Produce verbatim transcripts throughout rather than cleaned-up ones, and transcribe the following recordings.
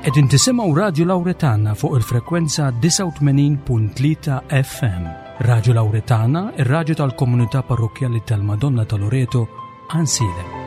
Qegħdin tisimgħu Radju Lawretana fuq il-frekwenza disgħa u tmenin punt tlieta F M. Radju Lawretana, ir-radju tal-komunità parrokkjali tal-Madonna ta' Loreto, Għajnsielem.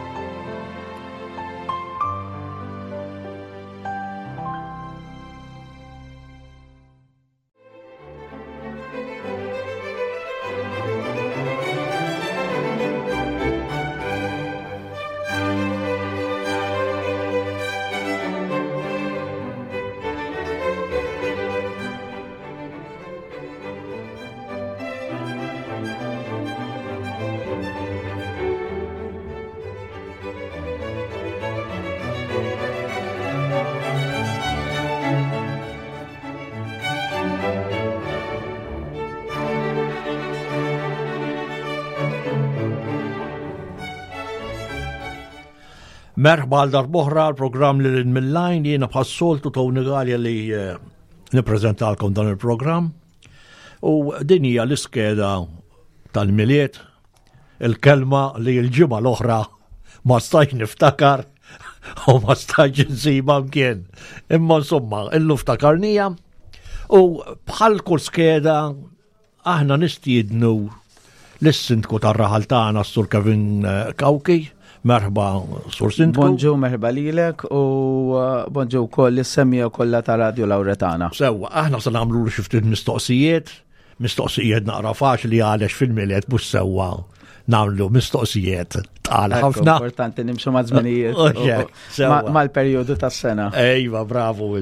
Merħba għal darb'oħra l-programm li lil mill-lajn, jiena bħas-soltu Tony Galea li, eh, nippreżentalkom dan il-programm. U din hija l-iskeda tal-Milied, il-kelma li l-ġimgħa l-oħra ma stajtx niftakar u ma stajtx insibha mkien. Imma insomma, illum ftakarnija u bħal kull skeda aħna nistiednu lis-sindku tar-raħal tagħna, s-Sur Kevin, eh, Cauchi. Merħba, Sur Sindku. Bonġu, merħba lilek u, eh, bonġu wkoll is-semmija kollha ta' Radio Lawretana. Sewwa, aħna se nagħmlu xi ftit mistoqsijiet, mistoqsijiet naqra faċli għaliex fil-Milied mhux sewwa nagħmlu mistoqsijiet tqal Ekku, ħafna. Importanti nimxu ma' żminijiet Oh, yeah, u- sewwa. ma-, mal-perjodu tas-sena. Ejwa, bravo.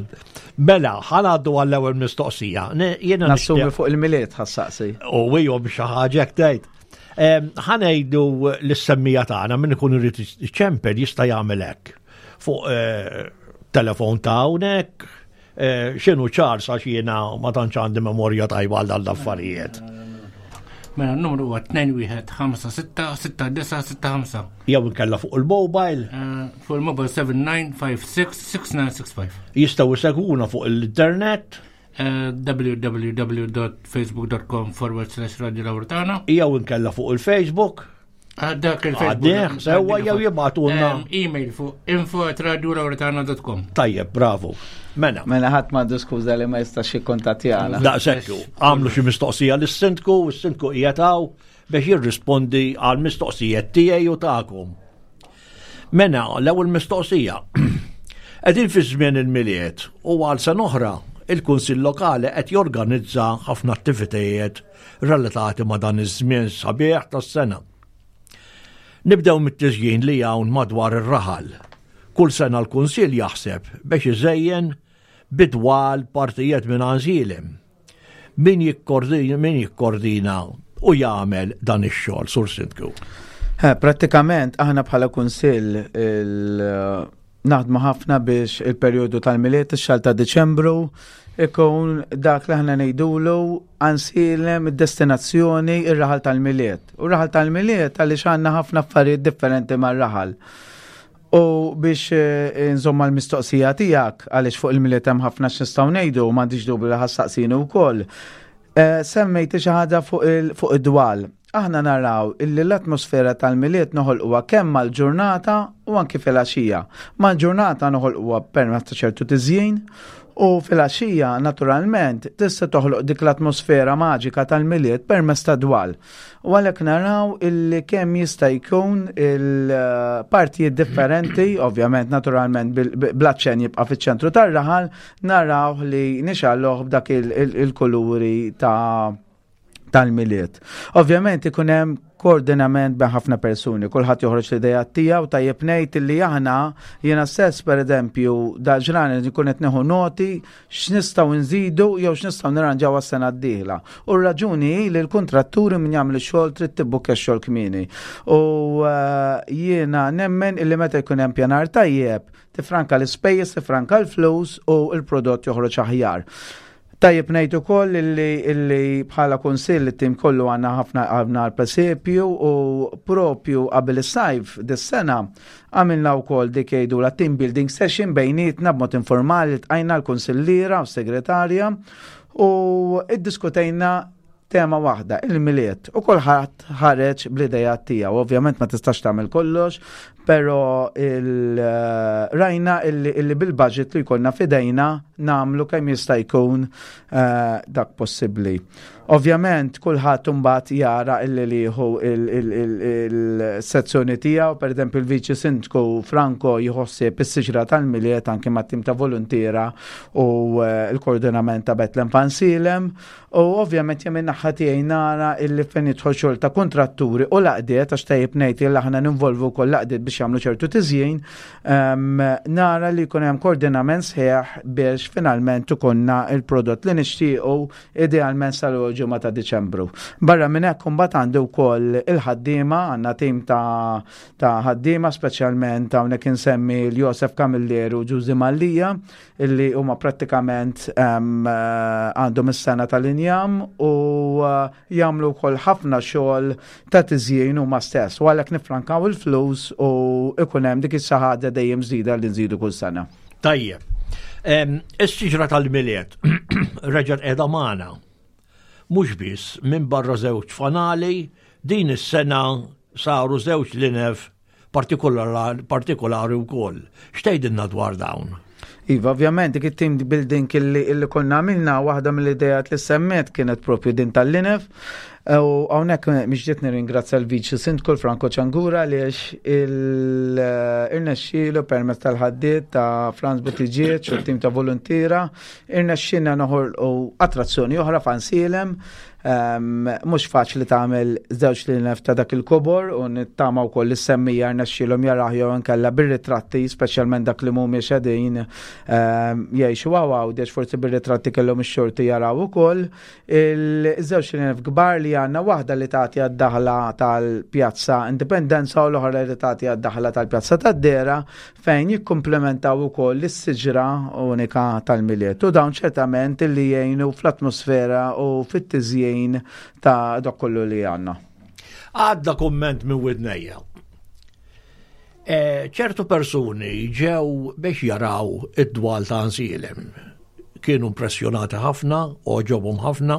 Mela, ħanaddu għall-ewwel mistoqsija. Ne, jiena Nassumi nixtieq fuq il-Milied ħassaqsi. U ijom xi ħaġa hekk tgħid. Em, ħanejdu l-semmija tagħna min ikun irid iċempel jista' jagħmel hekk. Fuq, eh, telefon ta' hawnhekk, eh, x'inhu ċar sa jiena ma tantx għandi memorja tajba għal dan l-affarijiet. Mela n-numru huwa tnejn wieħed ħamsa sitta sitta disa sitta ħamsa. Jew inkella fuq il-mobile. Eh, fuq il-mobile seven nine five six six nine six five. Jistgħu jsegwuna fuq l-internet. Eh, w w w dot facebook dot com forward slash Radio Lawretana. Jew inkella fuq il-Facebook. Ah, dak il-Facebook. Għaddieh, sewwa jew jibgħatulna. Em, email fuq info at radio lawretana dot com. Tajjeb, bravo. Mela. Mela ħadd m'għandu skuża li ma jistax jikkontattjana. Daqshekk, għamlu xi mistoqsija lis-sindku, u s-sindku qiegħed hawn biex jirrispondi għal mistoqsijiet tiegħi u tagħkom. Mela, l-ewwel mistoqsija. Qegħdin fi żmien il-Milied u għal sena oħra il-Kunsill Lokali qed jorganizza ħafna attivitajiet relatati ma' dan iż-żmien sabiħ tas-sena. Nibdew mit-tiżjin li hawn madwar ir-raħal. Kull sena l-Kunsill jaħseb biex iżejjen bidwal partijiet minn Għajnsielem. Min jikkordina, min jikkordina u jagħmel dan ix-xogħol, Sur Sindku? Eh, prattikament aħna bħala Kunsill il-, naħdmu ħafna biex il-perjodu tal-Milied, ix-xahar ta' Diċembru, ikun dak li aħna ngħidulu Għajnsielem id-destinazzjoni ir-raħal tal-Milied. U r-raħal tal-Milied għaliex għandna ħafna affarijiet differenti mar-raħal. U biex, eh, nżomma l-mistoqsija tiegħek, għaliex fuq il-Milied hemm ħafna x'nistgħu ngħidu, m'għandix dubju li ħassaqsini wkoll. Eh, semmejti xi ħaġa fuq il-, fuq id-dwal. Aħna naraw illi l-atmosfera tal-Milied noħolquha kemm mal-ġurnata u anki fil-għaxija. Mal-ġurnata noħolquha permezz ta' ċertu tiżjin u fil-għaxija naturalment tista' toħloq dik l-atmosfera maġika tal-Milied permezz ta' dwal. U għalhekk naraw illi kemm jista' jkun il-partijiet differenti, ovvjament naturalment bil-, bil-, bl-aċċen jibqa' fiċ-ċentru tar-raħal, naraw li nixalluh b'dak il-, il-, il-kuluri ta' tal-Milied. Ovvjament ikun hemm koordinament bejn ħafna persuni, kulħadd joħroġ l-idea tiegħu. Tajjeb ngħid illi aħna jiena stess pereżempju dal-ġranet nkun qed nieħu noti x'nistgħu nżidu jew x'nistgħu nirranġaw għas-sena d-dieħla. U r-raġuni hi li l-kontratturi min jagħmel ix-xogħol trid tibbukkja x-xogħol kmieni. U, eh, jiena nemmen illi meta jkun hemm pjanar tajjeb, tifranka l-ispejjeż, tifranka l-flus u l-prodott joħroġ aħjar. Tajjeb ngħid ukoll illi, illi bħala kunsill it-tim kollu għandna ħafna għandna l-presepju u propju qabel is-sajf dis-sena għamilna wkoll dik jgħidu la team building session bejnietna b'mod informali tqajna l-kunsilliera u s-segretarja u iddiskutejna Tema waħda, il-Milied, u kulħadd ħareġ bl-idea tiegħu. Ovvjament ma tistax tagħmel kollox, però il-rajna illi, illi bil-budget li jkollna f'idejna nagħmlu kemm jista' jkun uh, dak possibbli. Ovvjament kulħadd imbagħad jara illi liħu il-sezzjoni tiegħu, per eżempju il-Viċi Sindku Franco jħossib is-siġra tal-Milied anke mat-tim ta' voluntiera u eh, l-koordinament ta' Betlem f'Għajnsielem, u ovvjament jien min-naħa tiegħi nara illi fejn jidħol xogħol ta' kontratturi u l-għaqdiet, għax tajjeb ngħid illi aħna ninvolvu wkoll l-għaqdiet biex jagħmlu ċertu tiżjin, nara li jkun hemm koordinament sħiħ biex finalment ikollna il-prodott li nixtiequ, idealment sal-ġimgħa ta' Diċembru. Barra minn hekk imbagħad għandi wkoll il-ħaddiema, għandna tim ta' ta' ħaddiema, speċjalment hawnhekk insemmi l-Josef Camilleri u Ġużi Mallija, illi huma prattikament għandhom is-sengħa tal-injam u jagħmlu wkoll ħafna xogħol ta' tiżjin huma stess. U għalhekk nifrankaw il-flus u ikun hemm dik is-saħada dejjem żdida li nżidu kull sena. Tajjeb. Is-siġra tal-Milied reġgħet qiegħda magħna. Mhux biss minn barra żewġ fanali, din is-sena saru żewġ linef partikolari wkoll. X'tgħidilna dwar dawn? Iva, ovvjament, dik it-team building illi, illi konna għamilna, waħda mill-idejat li semmet kienet propju din tal-linef. U hawnhekk mhix nirringrazzja l-Viċi Sindku Franco Ciangura għaliex irnexxielu permezz tal-ħaddiet ta' Franz Buttigieg u t-tim ta' voluntiera, irnexxielna noħolqu attrazzjoni oħra f'Għajnsielem. Mhux faċli tagħmel żewġ linef ta' dak il-kobor u nittama wkoll is-semmiegħa rnexxielhom jaraw jew inkella bir-ritratti, speċjalment dak li mhumiex qegħdin jgħixu Għawdex, forsi bir-ritratti kellhom ix-xorti jaraw ukoll. Il-żewġ linef kbar li għandna, waħda li tagħti għad-daħla tal-Pjazza Indipendenza u l-oħra li tagħti għad-daħla tal-Pjazza tad-Dera, fejn jikkumplementaw ukoll is-siġra unika tal-Milied. U dawn ċertament li jgħinu fl-atmosfera u fit-tiżjin ta' dak kollu li għandna. Għadda komment minn widnejja. E, ċertu persuni ġew biex jaraw id-dwal ta' Għajnsielem. Kienu impressjonati ħafna, għoġobhom ħafna.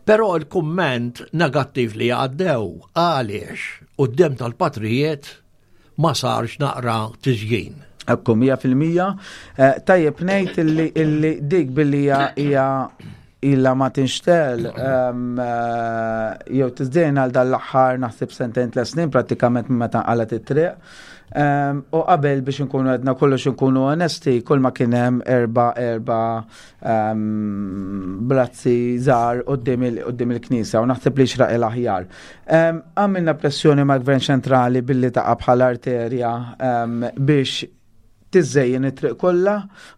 Però il-kumment negattiv li għaddew, għaliex quddiem tal-patrijiet ma sarx naqra tiżjin. Ekku, mija fil-mija. Eh, tajjeb ngħid illi, illi dik billi hija illa ma tinxtegħel eh, jew tiżdejn għal dal-aħħar naħseb sentejn, tliet snin, prattikament minn meta nqalgħet it-triq. U qabel, biex nkunu għedna kollox, nkunu onesti, kull ma kien hemm erba erba brazzi żgħar quddiem il-knisja u naħseb li xraq il-aħjar. Għamilna pressjoni ma' gvern ċentrali billi taqa' bħala arterja biex tiżejjen it-triq kollha.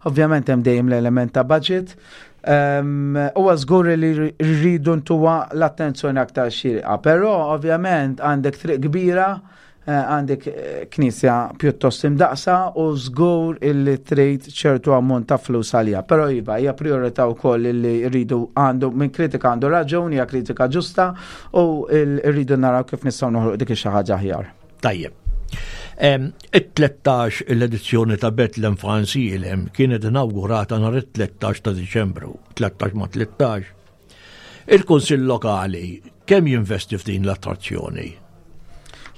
Ovvjament hemm dejjem l-element ta' budget. Huwa żgur li rridu ntuha l-attenzjoni aktar xirqa, però ovvjament għandek triq kbira, eh, għandek eh, knisja pjuttost imdaqsa u żgur illi trid ċertu ammont ta' flus għalija. Però iva, hija priorità wkoll illi rridu, għandu minn kritika għandu raġun, hija kritika ġusta u rridu naraw kif nistgħu noħloq dik xi ħaġa aħjar. Tajjeb. It-tlettax l-edizzjoni ta' Betlem f'Għajnsielem kienet inaugurata nhar it-tlettax ta' Diċembru, tlettax ma' tlettax. Il-Kunsill Lokali kemm jinvesti f'din l-attrazzjoni?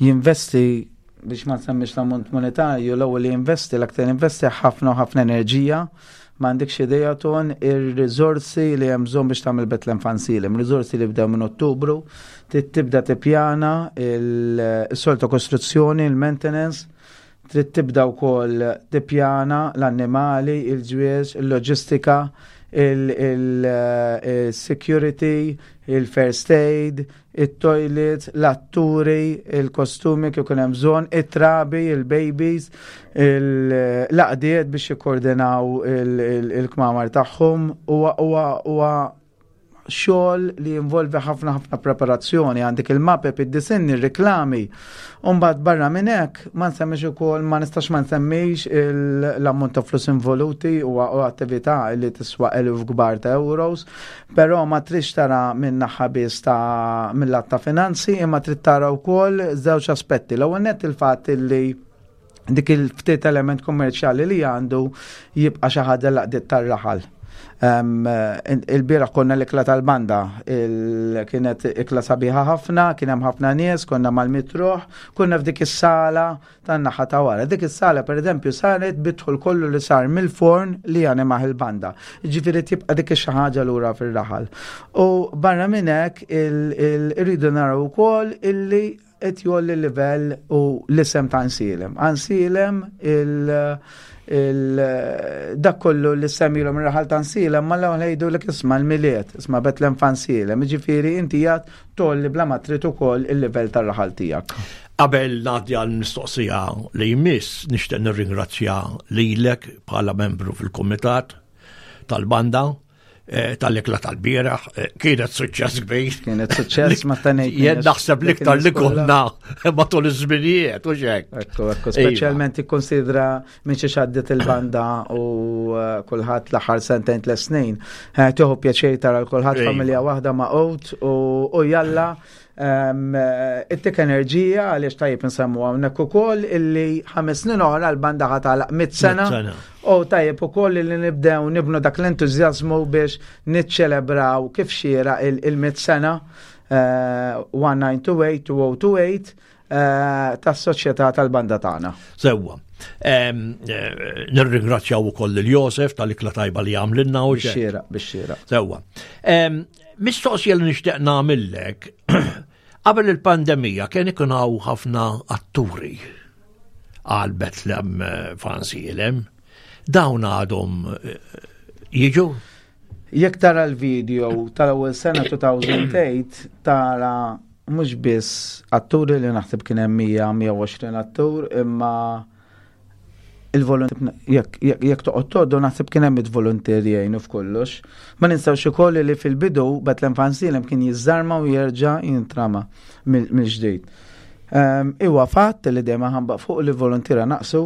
Jinvesti, biex ma nsemmix l-ammont monetarju, l-ewwel li jinvesti, l-aktar investi ħafna u ħafna enerġija. M'għandekx idea ton ir-riżorsi li hemm bżonn biex tagħmel Betlem f'Għajnsielem, riżorsi li bdew minn Ottubru, tibda tippjana il-solta kostruzzjoni, il-maintenance, trid tibda wkoll tippjana l-annimali, il-ġwież, il-loġistika, il-security, il-first aid, il-toilet, l-atturi, il-kostumi kif ikun hemm bżonn, it-trabi, il-babies, l-għaqdiet biex jikkoordinaw il-kmamar tagħhom. Huwa xogħol li jinvolvi ħafna ħafna preparazzjoni, għandek il-mapep, id-disinni, il-reklami. Umbagħad barra minn hekk ma nsemmix ukoll, ma nistax ma nsemmix l-ammont ta' flus involuti u attività li tiswa eluf kbar ta' euros, però ma tridx tara minn naħa biss ta' mill-lat ta' finanzi, imma trid tara wkoll żewġ aspetti. L-ewwel nett il-fatt li dik il-ftit element kommerċjali li għandu jibqa' xi ħaġa l-għaqdiet tar-raħal. Il-bieraħ konna l-ikla tal-banda, kienet ikla sabiħa ħafna, kien hemm ħafna nies, konna mal-mitt ruħ, konna f'dik is-sala tan-naħa ta' wara. Dik is-sala pereżempju saret bid-dħul kollu li sar mill-forn li janimaħ il-banda. Ġifieri tibqa' dik xi ħaġa lura fir-raħal. U barra minn hekk irridu naraw ukoll illi qed jgħolli l-livell u l-isem ta' Għajnsielem. Għajnsielem il- dak kollu li semmilhom ir-raħal ta' Għajnsielem ma l-ewwel jgħidu isma' l-Milied, isma' Betlem f'Għajnsielem, ġifieri inti jgħad tgħolli bla ma trid ukoll il-livell tar-raħal tiegħek. Qabel ngħaddi għal mistoqsija li jmiss, nixtieq nirringrazzja lilek bħala membru fil-kumitat tal-banda eh, tal-ikla tal-bieraħ, eh, kienet suċċess kbir. Kienet suċċess ma tanejt. Jien naħseb l-iktar li konna matul iż-żminijiet u xek. Ekku, ekku, speċjalment ikkonsidra minn xi xaddet il-banda u eh, kulħadd l-aħħar sentejn tliet snin. Tieħu pjaċir tara l kulħadd Iva. familja waħda ma' u jalla ittik enerġija għaliex tajjeb nsemmu hawnhekk ukoll illi ħames snin oħra l-banda ħa tagħlaq mitt sena u tajjeb ukoll illi nibdew nibnu dak l-entużjażmu biex niċċelebraw kif xiera il-mitt sena elf disa' mija u tmienja u tmenin, elfejn u tmienja u għoxrin tas-soċjetà tal-banda tagħna. Sewwa. Nirringrazzjaw ukoll lil Josef tal-ikla tajba li għamlilna u xek. Bix-xieraq, bix-xieraq. Sewwa. Mistoqsija li nixtieq nagħmillek, qabel il-pandemija kien ikun hawn ħafna atturi għal Betlem f'Għajnsielem. Dawn għadhom eh, jiġu? Jekk tara l-video tal-ewwel sena elfejn u tmienja tara mhux biss atturi li naħseb kien hemm mija, mija u għoxrin attur, imma il-volontier jekk jekk toqgħod tgħoddu naħseb kien hemm il-volontieri jgħinu f'kollox. Ma ninsawx ukoll li fil-bidu Betlem f'Għajnsielem kien jiżżarma u jerġa' jintrama mill-ġdid. Iwa fatt li dejjem ħambaq fuq li volontiera naqsu,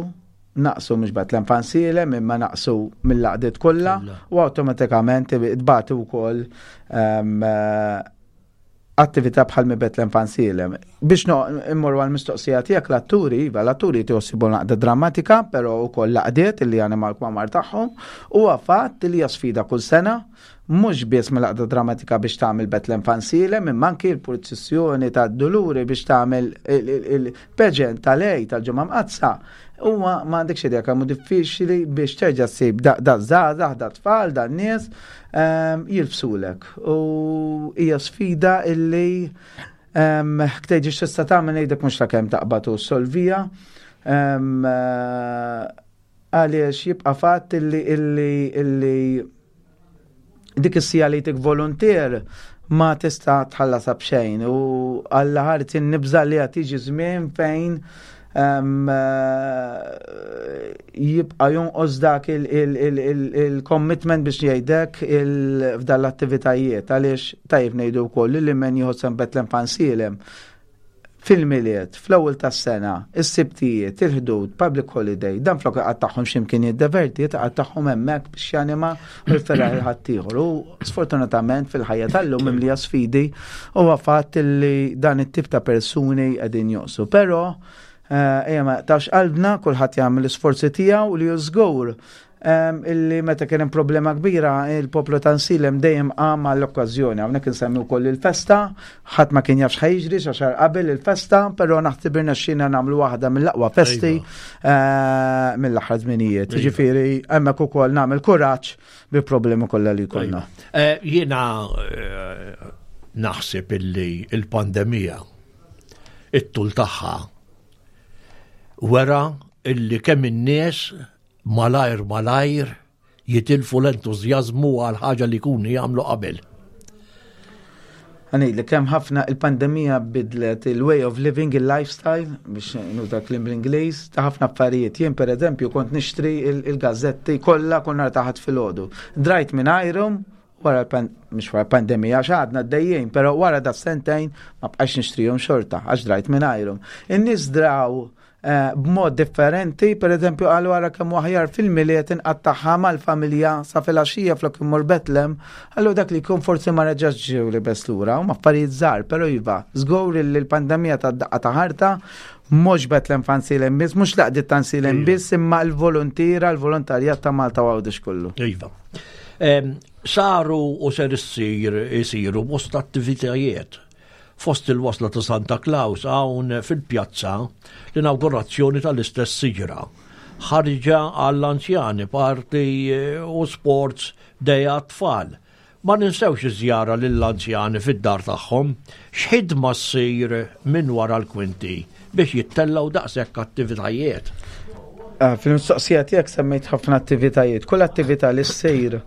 naqsu mhux Betlem f'Għajnsielem imma naqsu mill-għaqdiet kollha u awtomatikament tbati wkoll attività bħal mi Betlem f'Għajnsielem. Biex no immorru għal mistoqsija tiegħek l-atturi, iva l-atturi tiħossibu l-għaqda drammatika, però wkoll l-għaqdiet li għana mal-kwamar tagħhom, u fatt li hija sfida kull sena, mhux biss mill-għaqda drammatika biex tagħmel Betlem f'Għajnsielem, imma anki l-purċissjoni tad-Duluri biex tagħmel il-pageant tal-Għid tal-Ġimgħa Mqaddsa. Huwa ma għandekx idea kemm hu diffiċli biex terġa' ssib da żgħażagħ, da tfal, da nies jilbsulek. U hija sfida illi ktejġi x'tista' tagħmel ngħidlek mhux ta' kemm taqbad u solvija. Għaliex jibqa' fatt illi illi illi dik is-siegħa li tik volontier ma tista' tħallasha b'xejn u għalla ħarti nibża li qed tiġi żmien fejn jibqa' jonqos dak il-commitment biex jgħidek f'dan l-attivitajiet għaliex tajjeb ngħidu wkoll li men jieħu sehem Betlem f'Għajnsielem fil-Milied, fl-ewwel tas-sena, is-Sibtijiet, il-Ħdud, public holiday, dan flok tagħhom x'imkien jiddeverti, tagħhom hemmhekk biex janima u jferraħ il-ħaddieħor. U sfortunatament fil-ħajja tal-lum mimlija sfidi huwa fatt li dan it-tip ta' persuni qegħdin joqsu. Però ejja ma tax qalbna, kulħadd jagħmel l-isforzi tiegħu li żgur illi meta kien hemm problema kbira il-poplu ta' Għajnsielem dejjem qam għall-okkażjoni. Hawnhekk insemmi wkoll il-festa, ħadd ma kien jaf x'ħa jiġri xa xahar qabel il-festa, però naħseb irnexxielna nagħmlu waħda mill-aqwa festi eh, mill-aħħar żminijiet. Iva. Ġifieri hemmhekk ukoll nagħmel kuraġġ bi problemi kollha li jkollna. Eh, Jiena eh, naħseb illi il-pandemija it-tul tagħha wera illi kemm in-nies malajr malajr jitilfu l-entużjażmu għal ħaġa li jkunu jagħmlu qabel. Għani, li kemm ħafna il-pandemija bidlet il-way of living, il-lifestyle, biex nuża kliem bl-Ingliż, ta' ħafna affarijiet. Jien per eżempju kont nixtri il-gazzetti kollha kull nhar ta' Ħadd filgħodu. Drajt minn għajrum, wara mhux wara pandemija għax għadna d-dejjin, pero wara da sentejn ma bqax nixtrihom xorta, għax drajt minn għajrum. In-nies draw eh, b'mod differenti, per eżempju għal wara kemm aħjar fil-Milied inqattagħha mal-familja sa filgħaxija flok immur Betlem, allu dak li jkun forsi ma reġax ġew li bes lura, huma affarijiet żgħar, però iva, żgur li l-pandemija ta' daqqa ta' ħarta, mhux Betlem f'Għajnsielem biss, mhux l-għaqdiet ta' Għajnsielem Iva. biss, imma l-volontira, l-volontarjat ta' Malta u Għawdex kollu. Iva. Saru u ser issir isiru bosta attivitajiet. Fost il-wasla ta' Santa Claus hawn fil-pjazza l-inaugurazzjoni tal-istess siġra. Ħarġa għall-anzjani, party eh, u sports day għat-tfal. Ma ninsewx iż-żjara lill-anzjani fid-dar tagħhom, x'ħidma ssir minn wara l-kwinti biex jittellgħu daqshekk attivitajiet. Ah, fil-mistoqsija tiegħek semmejt ħafna attivitajiet. Kull attività li ssir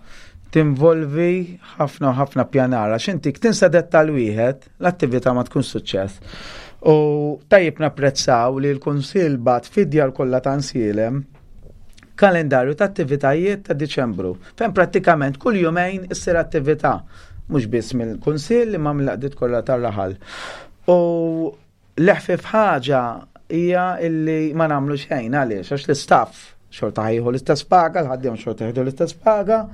tinvolvi ħafna u ħafna pjanar. Għax inti tinsa dettal wieħed, l-attività ma tkun suċċess. U tajjeb napprezzaw li l-Kunsill bagħat fid-djar kollha ta' Għajnsielem kalendarju ta' attivitajiet ta' Diċembru. Fejn prattikament kull jumejn issir attività, mhux biss mill-Kunsill imma mill-għaqdiet kollha tar-raħal. U l-eħfef ħaġa hija illi ma nagħmlu xejn. Għaliex? Għax l-istaff xorta ħa jieħu l-istess paga, l-ħaddiem xorta jieħdu l-istess paga,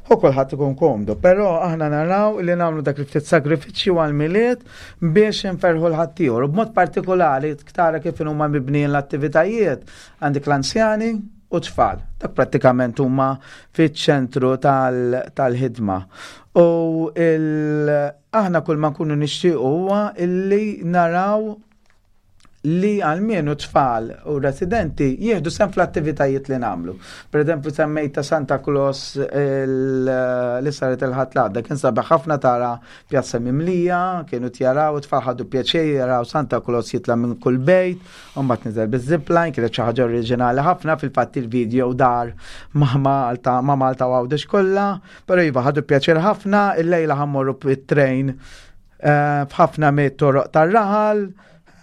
u kulħadd ikun komdu. Però aħna naraw li nagħmlu dak il-ftit sagrifiċċju għall-Milied biex inferħu l-ħaddieħor. U b'mod partikolari tara kif huma mibnijin l-attivitajiet, għandek l-anzjani u tfal. Dak prattikament huma fiċ-ċentru tal-ħidma. U aħna kull ma nkunu nixtiequ huwa illi naraw li għalmenu tfal u residenti jieħdu sehem fl-attivitajiet li nagħmlu. Per eżempju, semmejt ta' Santa Claus li saret il-Ħadd l-għadda, kien sabiħ ħafna tara pjazza mimlija, kienu tjaraw, tfal ħadu pjaċir jaraw Santa Claus jitla minn kull bejt, u mbagħad niżel biz-zipline, kienet xi ħaġa oriġinali ħafna. Fil-fatt il-video dar ma' Malta, ma' Malta u Għawdex kollha, però iva, ħadu pjaċir ħafna. Il-lejla ħa mmorru bit-train eh, f'ħafna mit-toroq tar-raħal,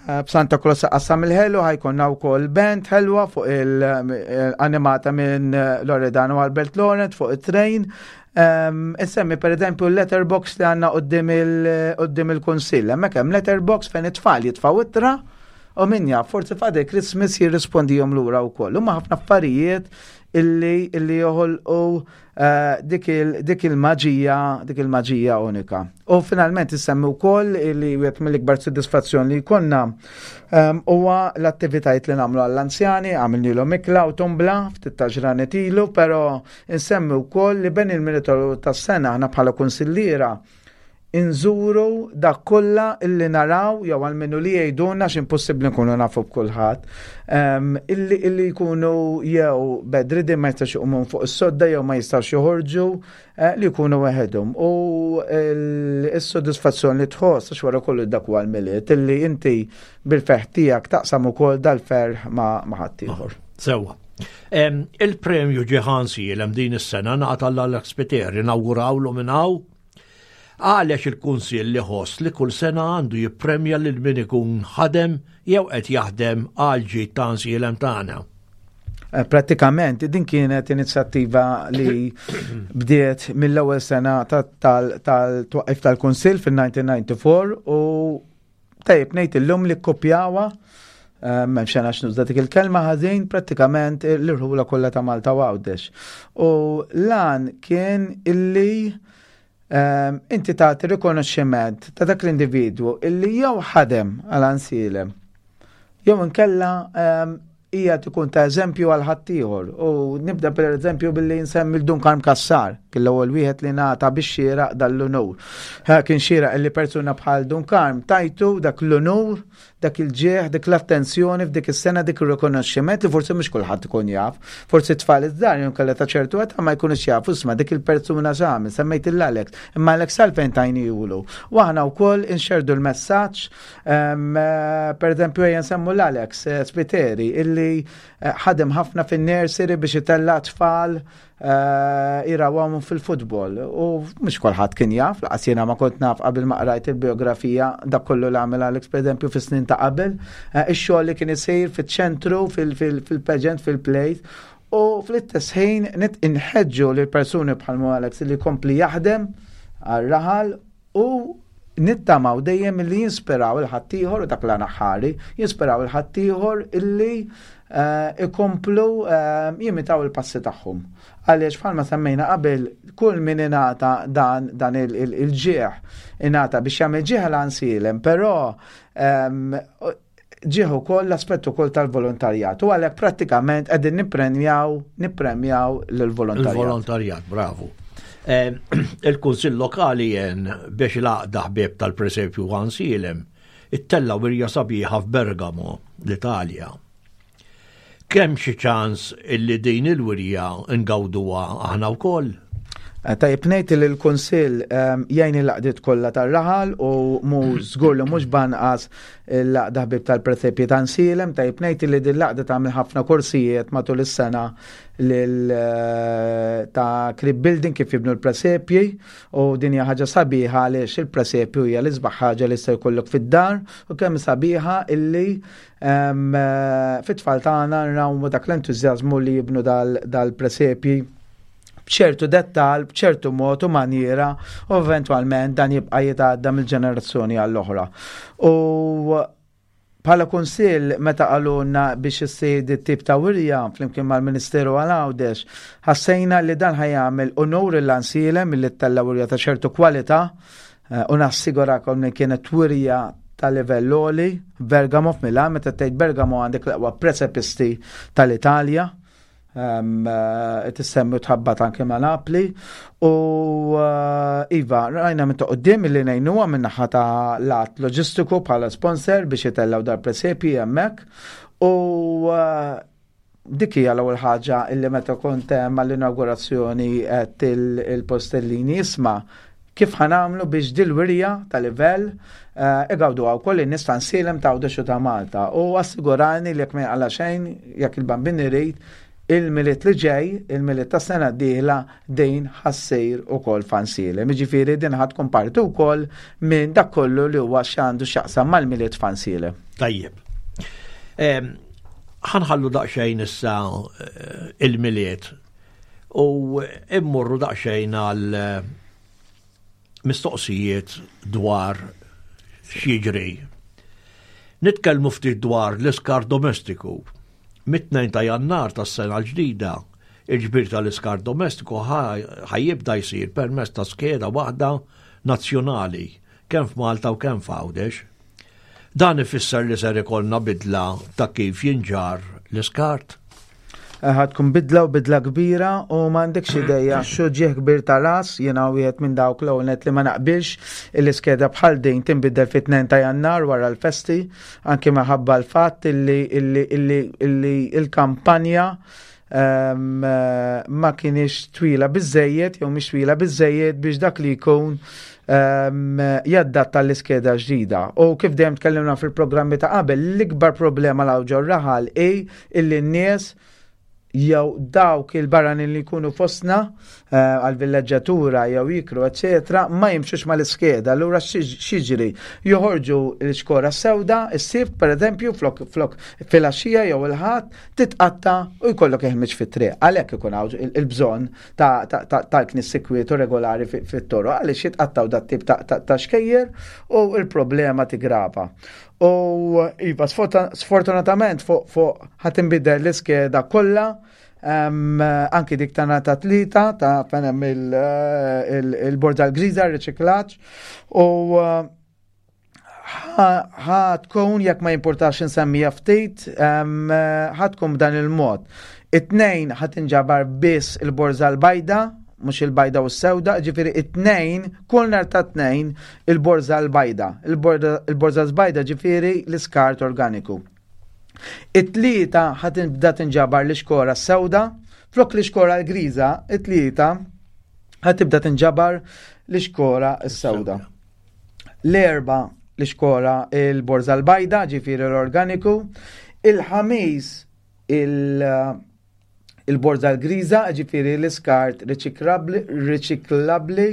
Eh, b'Santa Claus qassam il-ħelu, ħa jkollna wkoll band ħelwa fuq il-animata minn eh, Loredan u Albert Laurent fuq it-train. Insemmi per eżempju l-letterbox li għandna quddiem il-Kunsill. Hemmhekk hemm letterbox fejn it-tfal jitfgħu ittra u min jaf, forsi Father Christmas jirrispondihom lura wkoll. Huma ħafna affarijiet illi illi joħolqu eh, dik il-maġija, dik il-maġija unika. U finalment insemmi wkoll illi wieħed mill-ikbar soddisfazzjon li jkollna ehm, huwa l-attivitajiet li nagħmlu għall-anzjani. Għamilnilhom ikla u tombla ftit ta' ġranet ilu, però insemmi wkoll li bejn il-Milied tas-sena aħna bħala kunsilliera inżuru dak kollha illi naraw jew għalmenu li jgħidulna, x'impossibbli nkunu nafu b'kulħadd, illi illi jkunu jew bedridden, ma jistax iqumu fuq is-sodda jew ma jistax joħorġu, eh, li jkunu weħedhom. U s-sodisfazzjon li tħoss, għax wara kollu dak huwa l-Milied, illi inti bil-ferħ tiegħek taqsam ukoll dal-ferħ ma' ħaddieħor. Sewwa. Il-premju Ġieħ Għajnsielem din is-sena ngħata lil Alex Spiteri, nawgurawlu minn hawn. Għaliex il-Kunsill iħoss li kull sena għandu jippremja lil min ikun ħadem jew qed jaħdem għal ġid ta' Għajnsielem tagħna? Eh, pratikament din kienet inizjattiva li bdiet mill-ewwel sena tal-twaqif tal-Kunsill fil-elf disa' mija u disgħa u disgħin u tajjeb ngħid illum li kopjawha, eh, m'hemmx għax nuża dik il-kelma ħażin, prattikament l-irħula kollha ta' Malta u Għawdex. U lan kien illi Ehm, inti tagħti rikonoxximent ta' dak l-individwu illi jew ħadem għal Għajnsielem jew inkella ehm, hija tkun ta' eżempju għal ħaddieħor. U nibda per eżempju billi nsemmi l-Dun Karm Kassar, kien l-ewwel wieħed li ngħata biex xieraq dal-unur. Kien xieraq illi persuna bħal Dun Karm tajtu dak l-unur, dak il-ġieħ, dik l-attenzjoni f'dik is-sena, dik ir-rikonoxximent li forsi mhux kulħadd ikun jaf. Forsi tfal iż-żgħar jew kellha ta' ċertu età ma jkunux jafu isma' dik il-persuna x'għamel, semmejt il-Alex, imma Alex għalfejn tajniehulu? U aħna wkoll inxerdu l-messaġġ, per eżempju ejja nsemmu l-Alex eh, Spiteri illi eh, ħadem ħafna fin-nursery biex itella' tfal jirawhom fil-futbol. U mhux kulħadd kien jaf, lanqas jiena ma kont naf qabel ma qrajt il-biografija, dak kollu li għamel Alex, per eżempju, fis-snin ta' qabel, eh, ix-xogħol li kien isir fiċ-ċentru, fil-pageant, fil-plate. U fl-istess ħin nit inħeġġu lil persuni bħal Alex li kompli jaħdem għal-raħal u nittamaw dejjem li jinspiraw il-ħaddieħor u dak l-anaħħari, jinspiraw il-ħaddieħor illi eh, ikomplu eh, jimitaw il-passi tagħhom. Għaliex bħalma semmejna qabel, kull min ingħata dan, dan il-ġieħ ingħata biex jagħmel ġieħ l-Għajnsielem, però ehm, ġieħ ukoll l-aspett ukoll tal-volontarjat. U għalhekk prattikament qegħdin nippremjaw nippremjaw lill-volontarjat. Il-volontarjat, bravo. Il-Kunsill Lokali jen biex l-għaqda ħbieb tal-presepju Għajnsielem ittella' wirja sabiħa f'Bergamo, l-Italja. Kemm xi ċans illi din il-wirja ngawduha aħna wkoll? Eh, tajjeb ngħid li l-Kunsill ehm, jgħin il-għaqdiet kollha tar-raħal u mu żgur li mhux b'anqas l-għaqda ħbieb tal-presepji ta' Għajnsielem. Tajjeb ngħid li din l-għaqda tagħmel ħafna korsijiet matul is-sena lil eh, ta' crib building, kif jibnu l-presepji, u din hija ħaġa sabiħa għaliex il-presepju hija l-isbaħ ħaġa li se jkollok fid-dar u kemm sabiħa illi ehm, eh, fit-tfal tagħna nrawmu dak l-entużjażmu li jibnu dal-presepji b'ċertu dettal, b'ċertu mod u maniera, u eventwalment dan jibqa' jitgħadda mill-ġenerazzjoni għall-oħra. U bħala kunsill, meta qalulna biex issir tip ta' wirja flimkien mal-Ministeru għal Għawdex, ħassejna li dan ħa jagħmel unur lil Għajnsielem milli ttella' wirja ta' ċertu kwalità eh, u nassigurakom li kienet wirja ta' livell għoli. Bergamo f'Milan, meta tgħid Bergamo għandek l-aqwa presepisti tal-Italja. Eh, tissemmi tħabbat anke ma' Napli u eh, iva, rajna minn ta' quddiem li ngħinuha minn naħa ta' lat loġistiku bħala sponsor biex jitellaw dar presepi hemmhekk u eh, dik hija l-ewwel ħaġa illi meta kont hemm għall-inaugurazzjoni qed il-Postellini, isma', kif ħa nagħmlu biex dil-wirja ta' livell igawdu wkoll in-nies ta' Għajnsielem, ta' Għawdex u ta' Malta? U assigurani li jekk ma jaqla' xejn, jekk il-Bambin irid, il-Milied li ġej, il-Milied ta' sena d-dieħla, din ħa ssir ukoll f'Għajnsielem. Ġifieri din ħa tkun parti wkoll minn dak kollu li huwa x'għandu x'jaqsam mal-Milied f'Għajnsielem. Tajjeb. Ħa nħallu daqsxejn issa eh, il-Milied u immorru daqsxejn għal eh, mistoqsijiet dwar x'jiġri. Nitkellmu ftit dwar l-iskart domestiku. Mit-tnejn ta' Jannar tas-sena l-ġdida, il-ġbir tal-iskart domestiku ħa jibda jsir permezz ta' skeda waħda nazzjonali, kemm f'Malta u kemm f'Għawdex. Dan ifisser li ser ikollna bidla ta' kif jinġar l-iskart. Ħa tkun bidla u bidla kbira u m'għandekx ideja x'uġigħ kbir ta' ras. Jiena wieħed minn dawk l-ewwel li ma naqbilx il-iskeda bħal din tinbidel fit-tnejn ta' Jannar wara l-festi, anke minħabba l-fatt illi illi il-kampanja ehm, ma kienx twila biżejjed jew mhix twila biżejjed biex dak li jkun um, jaddatta l-iskeda ġdida. U kif dejjem tkellimna fil-programmi ta' qabel, l-ikbar problema l raħal hi illi n-nies jew dawk il-barranin li jkunu fostna eh, għal-villeġġatura jew jikru, eccetera, ma jimxux mal-iskeda. Allura x'jiġri? Joħorġu l-xkora sewda, is-Sibt per eżempju, flok, flok filgħaxija jew il-Ħadd, titqatta u jkollok iħmiġ fit-triq. Għalhekk ikun hawn il-bżonn tal-knis sikwietu regolari fit-toroq, għaliex jitqattaw dat tip ta' xkejjer u il-problema tigrava. U iva, sfortunatament fuq fuq ħa tinbidel l-iskeda kollha, anki dik ta' ta' Tlieta ta' fejn hemm il-borża l-griża, riċiklaġġ, u ħa tkun, jekk ma jimpurtax insemmija ftit, ħa tkun b'dan il-mod. It-Tnejn ħa tinġabar biss il-borża l-bajda, mhux il-bajda u s-sewda, ġifieri it-Tnejn, kull nhar ta' Tnejn, il-borża l-bajda. Il-borża l-bajda ġifieri l-iskart organiku. It-Tlieta ħa tibda tinġabar l-ixkora s-sewda, flok l-ixkora l-griża, it-Tlieta ħa tibda tinġabar l-ixkora s-sewda. L-Erbgħa l-ixkora il-borża l-bajda, ġifieri l-organiku. Il-Ħamis il- il-borża l-griża, ġifieri l-iskart riċiklabli,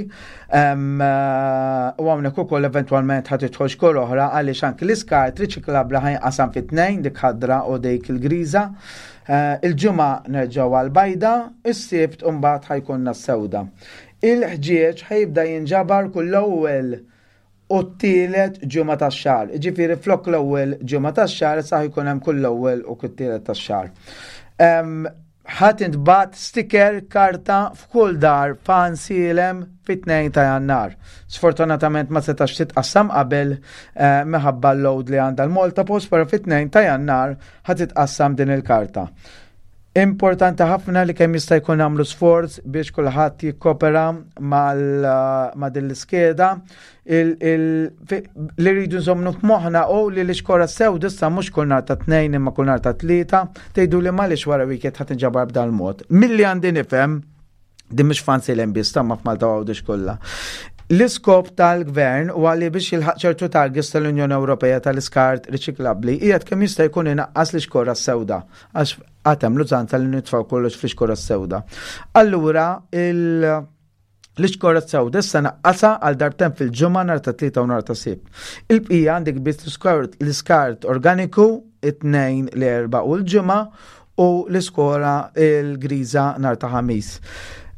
u hawnhekk ukoll eventwalment ħa tidħol xkora oħra għaliex anki l-iskart riċiklabli ħa jinqasam fit tnejn, dik ħadra u dik il-griża. Eh, il-Ġimgħa nerġgħu għal-bajda, is-Sibt mbagħad ħa jkollna s-sewda. Il-ħġieġ ħa jibda jinġabar kull l-ewwel u t-tielet ġimgħa tax-xahar. Ġifieri flok l-ewwel ġimgħa tax-xahar, sa jkun hemm kull l-ewwel u kull tielet tax-xahar. Ħa tintbagħat sticker, karta f'kull dar f'Għajnsielem fit-tnejn ta' Jannar. Sfortunatament ma setax titqassam qabel eh, minħabba l-load li għandha l-Malta Post, però fit-tnejn ta' Jannar ħa titqassam din il-karta. Importanti ħafna li kemm jista' jkun nagħmlu sforz biex kulħadd jikkopera ma' din l-iskeda. Li rridu nżommu f'moħħna u li l-ixkora sewda issa mhux kull nhar ta' Tnejn imma kull nhar ta' Tlieta, tgħidu li m'għaliex wara weekend ħa tinġabar b'dan mod. Milli għandi nifhem, din mhux f'Għajnsielem biss, ma f'Malta Għawdex kollha. L-iskop tal-gvern huwa li biex jilħaq ċertu targets tal-Unjoni Ewropea tal-iskart riċiklabbli qiegħed kemm jista' jkun inaqqas l-ixkora sewda, għax għad hemm l-użanza li nitfgħu kollox fl-ixkora sewda. Allura l-ixkora sewda issa naqqasha għal darbtejn fil-ġimgħa, nhar ta' Tlieta u nhar ta' Sibt. Il-bqija għandek biss l-iskart organiku it-Tnejn, l-Erbgħa u l-Ġimgħa u l-iskora il-griża nhar ta' Ħamis.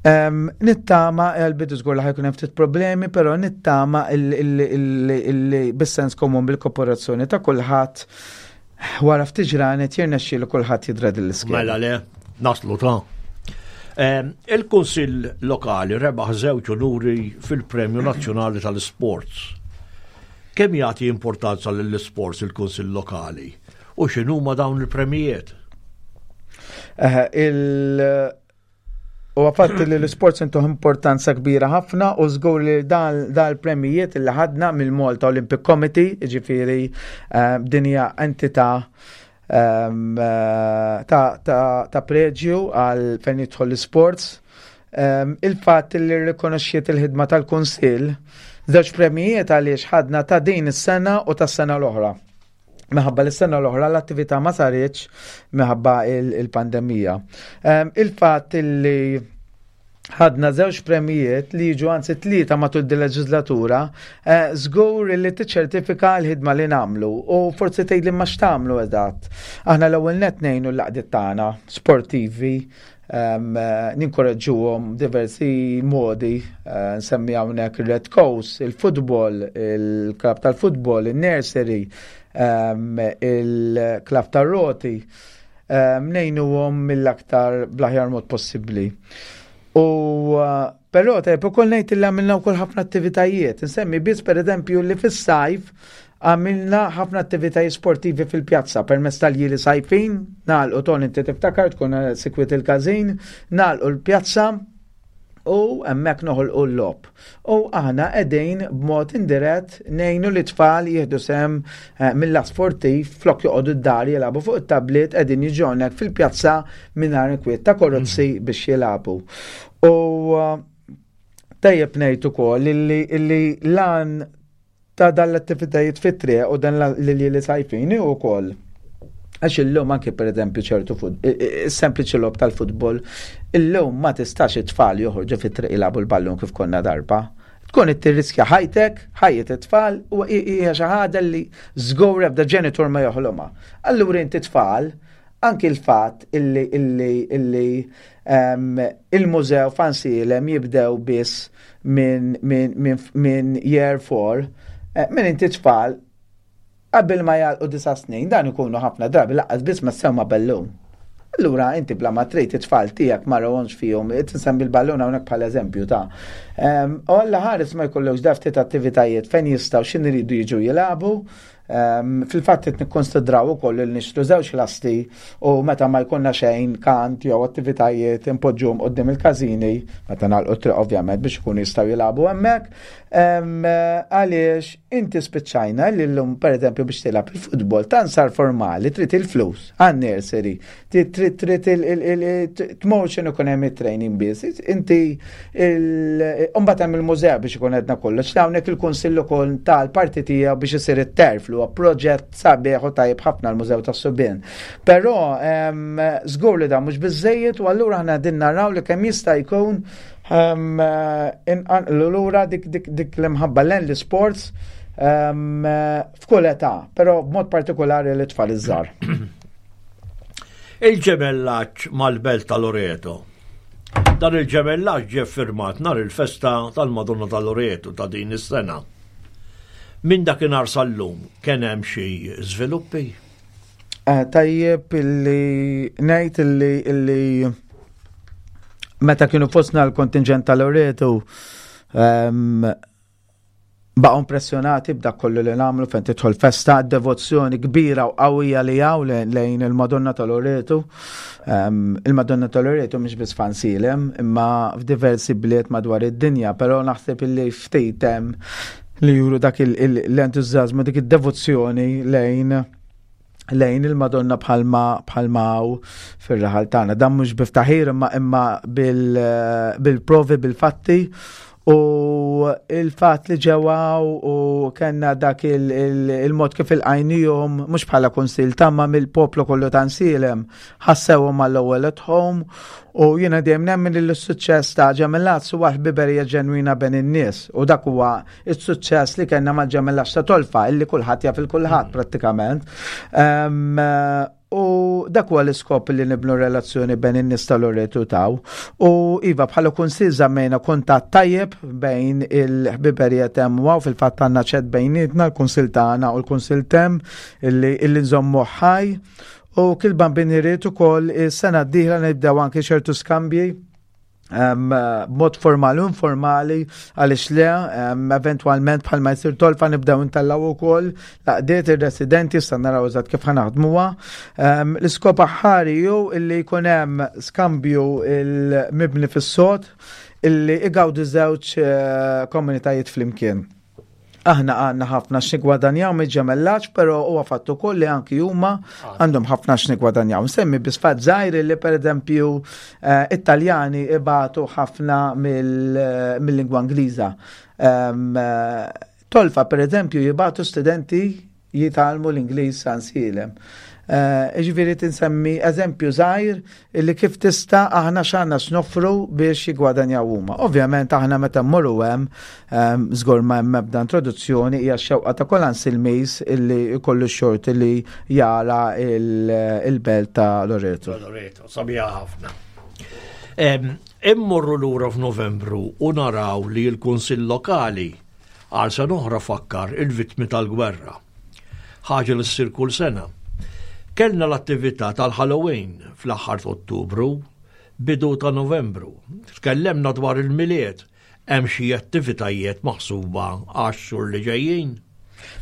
Nittama, għal-bidu żgur li ħa jkun hemm ftit problemi, però nittama illi bis-sens komun, bil-kooperazzjoni ta' kulħadd, wara ftit ġranet jirnexxielu kulħadd jidra din l-iskema. Mela le, naslu ta'. Il-Kunsill Lokali rebaħ żewġ unuri fil-Premju Nazzjonali tal-Sports. Kemm jagħti importanza lill-sports il-Kunsill Lokali? U x'inhuma dawn il-premijiet? Il U għafatt li l-sports intuh importanza kbira ħafna u żgur li dal-premijiet li ħadna mill-Malta Olympic Committee, ġifieri eh, din hija entità ehm, eh, ta' preġju għal fejn jidħol l-sports. Ehm, il-fatt li rrikonoxxiet il-ħidma tal-Kunsill, żewġ premijiet għaliex ħadna ta' din is-sena u tas-sena l-oħra. Minħabba l-sena l-oħra l-attività ma saritx minħabba il-pandemija. Il-fatt li ħadna żewġ premijiet, li jiġu anzi tlieta matul di leġislatura, eh, żgur li tiċċertifika l-ħidma li nagħmlu, u forsi tgħid li ma x'tagħmlu eżatt. Aħna l-ewwel net ngħinu l-għaqdiet tagħna sportivi, ninkoraġġuhom diversi modi, eh, nsemmi hawnhekk il-Red Coast, il-futbol, il-klab tal-futbol, il-nursery, il-klab tar-roti, ngħinuhom mill-aktar bl-aħjar mod possibbli. U però tajb ukoll ngħid li għamilna wkoll ħafna attivitajiet. Nsemmi biss, pereżempju, li fis-sajf għamilna ħafna attivitajiet sportivi fil-pjazza permezz tal-ljieli sajfin, nagħlqu ton inti tiftakar tkun sikwit il-każin, nagħlqu l-pjazza u hemmhekk noħolqu l-logħob. U aħna qegħdin b'mod indirett ngħinu li tfal jieħdu sehem eh, mill sportiv, flok joqogħdu d-dar jilagħbu fuq it-tablet, qegħdin jiġu hawnhekk fil-pjazza mingħajr inkwiet ta' karozzi mm. biex jilagħbu. U eh, tajjeb ngħid ukoll illi l-għan ta' dan l-attivitajiet fit-triq u dan li sajfini u koll. Għax illum anke, per eżempju, ċertu sempliċi logħob tal-futbol, illum ma tistax it-tfal joħorġu fit-triq jilagħbu l-ballun kif konna darba. Tkun tirriskja ħajtek, ħajjet it-tfal, u hija xi ħaġa li żgur ebda ġenitur ma joħlomha. Allura inti tfal, anki l-fatt illi illi illi il-mużew f'Għajnsielem jibdew biss minn min, min, min year four, eh, minn inti tfal qabel ma jagħlqu disa' snin, dan ikunu ħafna drabi lanqas biss ma semgħu ballun. Allura inti bla ma trid it-tfal tiegħek ma rawhomx fihom, tinsemmi l-ballun hawnhekk bħala eżempju ta' U Alla ħares ma jkollokx da ftit attivitajiet fejn jistgħu x'in iridu jiġu jilagħbu. Fil-fatt qed nikkonsidraw ukoll li nixtru żewġ lasti u meta ma jkollna xejn, kant jew attivitajiet, impoġġuhom quddiem il-każini, meta nagħlqu triq ovvjament, biex ikunu jistgħu jilagħbu hemmhekk. Għaliex inti spiċċajna li llum, pereżempju, biex tilgħab il-futbol tan sar formali, trid il-flus għan-nursery, trid trid tmur x'inhu ikun hemm it-training biss. Inti mbagħad hemm il-mużew biex ikun għedna kollox. Hawnhekk il-Kunsill ukoll tal-parti tiegħu biex isir it-terf li huwa proġett sabiħ u tajjeb ħafna, l-Mużew tas-Subien. Però żgur li dan mhux biżejjed u allura aħna din naraw li kemm jista' jkun inqanqlu lura dik dik dik l-imħabba lejn l-sports f'kull età, però b'mod partikolari l-tfal iż-żgħar. Il-ġemellaġġ mal-Belt ta' Loreto. Dan il-ġemellaġġ ġie firmat nhar il-festa tal-Madonna ta' Loreto ta' din is-sena. Minn dakinhar sal-lum kien hemm xi żviluppi? Eh, tajjeb illi ngħid illi illi meta kienu fostna l-kontingent ta' Loreto, um, Baqgħu impressjonati b'dak kollu li nagħmlu fejn tidħol festa, devozzjoni kbira u qawwija li hawn lejn il-Madonna ta' Loreto. Il-Madonna ta' Loreto mhix biss f'Għajnsielem, imma f'diversi bliet madwar id-dinja, però naħseb illi ftit hemm li juru dak l-entużjażmu, dik id-devozzjoni lejn lejn il-Madonna bħalma bħalma fir-raħal tagħna. Dan mhux biftaħir imma imma bil-provi, bil-fatti u il-fat li ġew u kellna dak il-mod kif ilqajnihom mhux bħala kunsill tamma mill-poplu kollu ta' Għajnsielem, ħassewhom mal-ewwel at home u jiena dejjem nemmen li l-suċċess ta' ġemellaġġ huwa ħbiberija ġenwina bejn in-nies u dak huwa s-suċċess li kellna mal-ġemellaġġ ta' Tolfa, illi kulħadd jaf il-kulħadd prattikament. U dak huwa l-iskop li nibnu relazzjoni bejn in-nies tal-Loreto taw. U iva, bħala kunsill żammejna kuntatt tajjeb bejn il-ħbiberija t'hemm u fil-fatt għandna chat bejnietna, l-kunsill tagħna u l-kunsill t'hemm, illi illi nżommu ħaj. U kif il-Bambin irid ukoll, is-sena d-dieħla nibdew anke ċertu skambji b'mod formali u informali, għaliex le, eventwalment bħalma jsir Tolfa nibdew intellgħu ukoll laqdiet ir-residenti, sta naraw eżatt kif ħa naħdmuha. L-iskop aħħari hu illi jkun hemm skambju il-mibni fis-sod illi igawdu żewġ eh, komunitajiet flimkien. Aħna għandna ħafna x'nigwadanjaw mill-ġemellaġġ, però huwa fattu ukoll li anki huma għandhom ħafna x'nigwadanjaw. Nsemmi biss fatt żgħir li, pereżempju, eh, Italjani ibatu ħafna mill-lingwa Ingliża. Eh, Tolfa, pereżempju, jibagħtu studenti jitgħallmu l-Ingliż Għajnsielem. Eh, ġifieri tinsemmi eżempju żgħir illi kif tista' aħna x'għandna x'noffru biex jigwadanjaw huma. Ovvjament aħna meta mmorru hemm, żgur ma hemm ebda introduzzjoni, hija x-xewqa ta' kull Ansilmiż illi jkollu xort illi jara il-belt ta' Loreto. Loreto, sabiħa ħafna. Immorru lura f'Novembru u naraw li l-Kunsill Lokali għal sena oħra fakkar il-vittmi tal-gwerra. Ħaġa li ssir kull sena. Kellna l-attività tal-Halloween fl-aħħar ta' Ottubru, bidu ta' Novembru. Tkellemna dwar il-Milied, hemm xi attivitajiet maħsuba għax-xhur li ġejjin?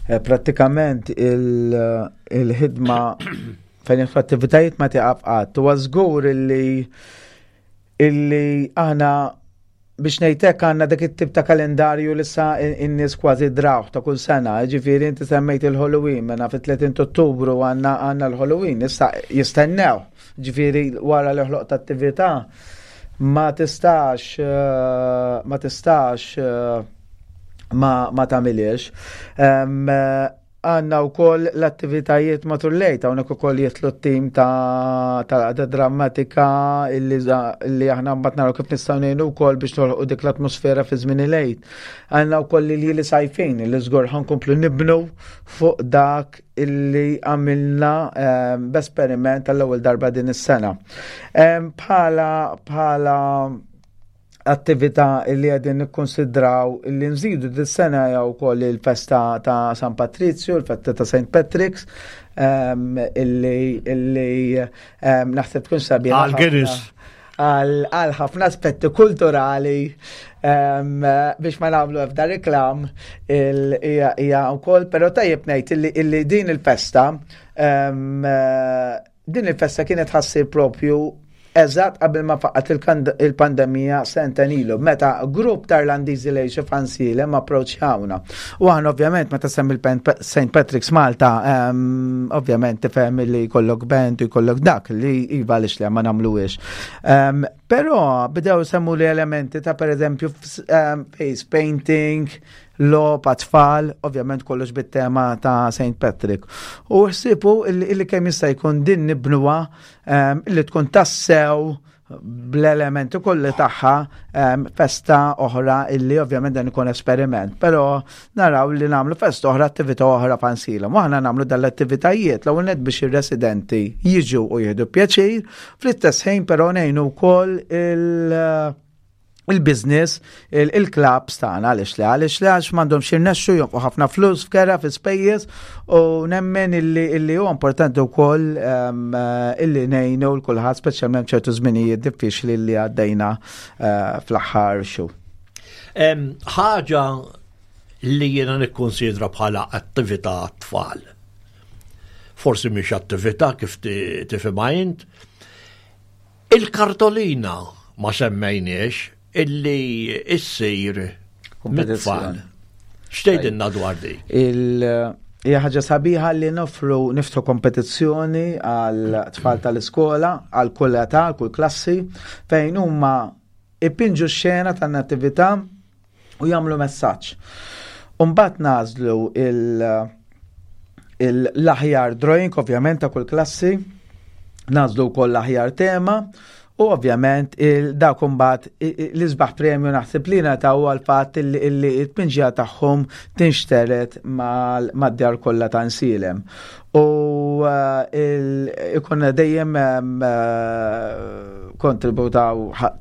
Eh, prattikament il-ħidma fejn l-attivitajiet ma tieqaf qatt. Huwa żgur illi illi aħna, biex ngħidlek, għandna dak it-tip ta' kalendarju li sa in-nies kważi drawh ta' kull sena. Ġifieri inti semmejt il-Halloween, mena fit-tletin Ottubru għandna għandna l-Halloween, issa jistennew. Ġifieri wara li ħloqt attività ma tistax eh, ma tistax eh, ma ma tagħmilhiex. Għandna wkoll l-attivitajiet matul l-Għid, hawnhekk ukoll jidħlu t-tim ta' ta' drammatika illi illi aħna mbagħad naraw kif nistgħu ngħinu wkoll biex noħolqu dik l-atmosfera fi żmien il-Għid. Għandna wkoll li li sajfin li żgur ħa nkomplu nibnu fuq dak illi għamilna ehm, b'esperiment għall-ewwel darba din is-sena. Ehm, bħala bħala attività li qegħdin nikkonsidraw li nżidu dis-sena jew ukoll il-festa ta' San Patrizio, il-festa ta' Saint Patrick's, um, illi illi um, naħseb tkun sabiħa. Għal Guinness. Għal ħafna aspetti kulturali um, biex ma nagħmlu ebda reklam hija wkoll, però tajjeb ngħid illi, illi din il-festa um, din il-festa kienet ħa ssir propju eżatt qabel ma faqqat il-pandemija sentejn ilu, meta grupp ta' Irlandiżi li jgħixu f'Għajnsielem approċċjawna. U aħna ovvjament meta semmi Saint Patrick's Malta, um, ovvjament tifhem li jkollok band u jkollok dak li iva, għaliex li ma nagħmluhiex. Um, Però bdew semmu li elementi ta', per eżempju, um, face painting, logħob għat-tfal, ovvjament kollox bit-tema ta' Saint Patrick. U ħsibu illi kemm jista' jkun din nibnuha um, illi tkun tassew bl-elementi kolli tagħha um, festa oħra illi ovvjament dan ikun esperiment, però naraw li nagħmlu festa oħra, attività oħra f'Għajnsielem. U aħna nagħmlu dal-attivitajiet l net biex ir-residenti jiġu u jieħdu pjaċir, fl-istess ħin però ngħinu wkoll il- il-business, il-clubs tagħna, għaliex li għaliex li għax m'għandhomx jirnexxu jonfqu ħafna flus f'kera, fi spejjeż, u nemmen illi illi huwa importanti wkoll um, illi ngħinu l kulħadd, speċjalment ċertu żminijiet diffiċli li għaddejna uh, fl-aħħar xhur. Ħaġa li jiena nikkonsidra bħala attività tfal. Forsi mhix attività kif tifhimha int. Il-kartolina ma semmejniex illi issir mit-tfal. X'tgħidilna dwar di? Il- Hija ħaġa sabiħa li nofru niftħu kompetizzjoni għal tfal tal-iskola, għal kull età, għal kull klassi, fejn huma ipinġu xena tan-natività u jagħmlu messaġġ. Umbagħad nagħżlu l-aħjar drawing, ovvjament, ta' kull klassi, nagħżlu wkoll l-aħjar tema, u ovvjament dak imbagħad l-isbaħ premju naħseb li nagħtu għal-fatt li t-tpinġija tagħhom tinxteret mad-djar kollha ta' Għajnsielem. U ikun dejjem kontributaw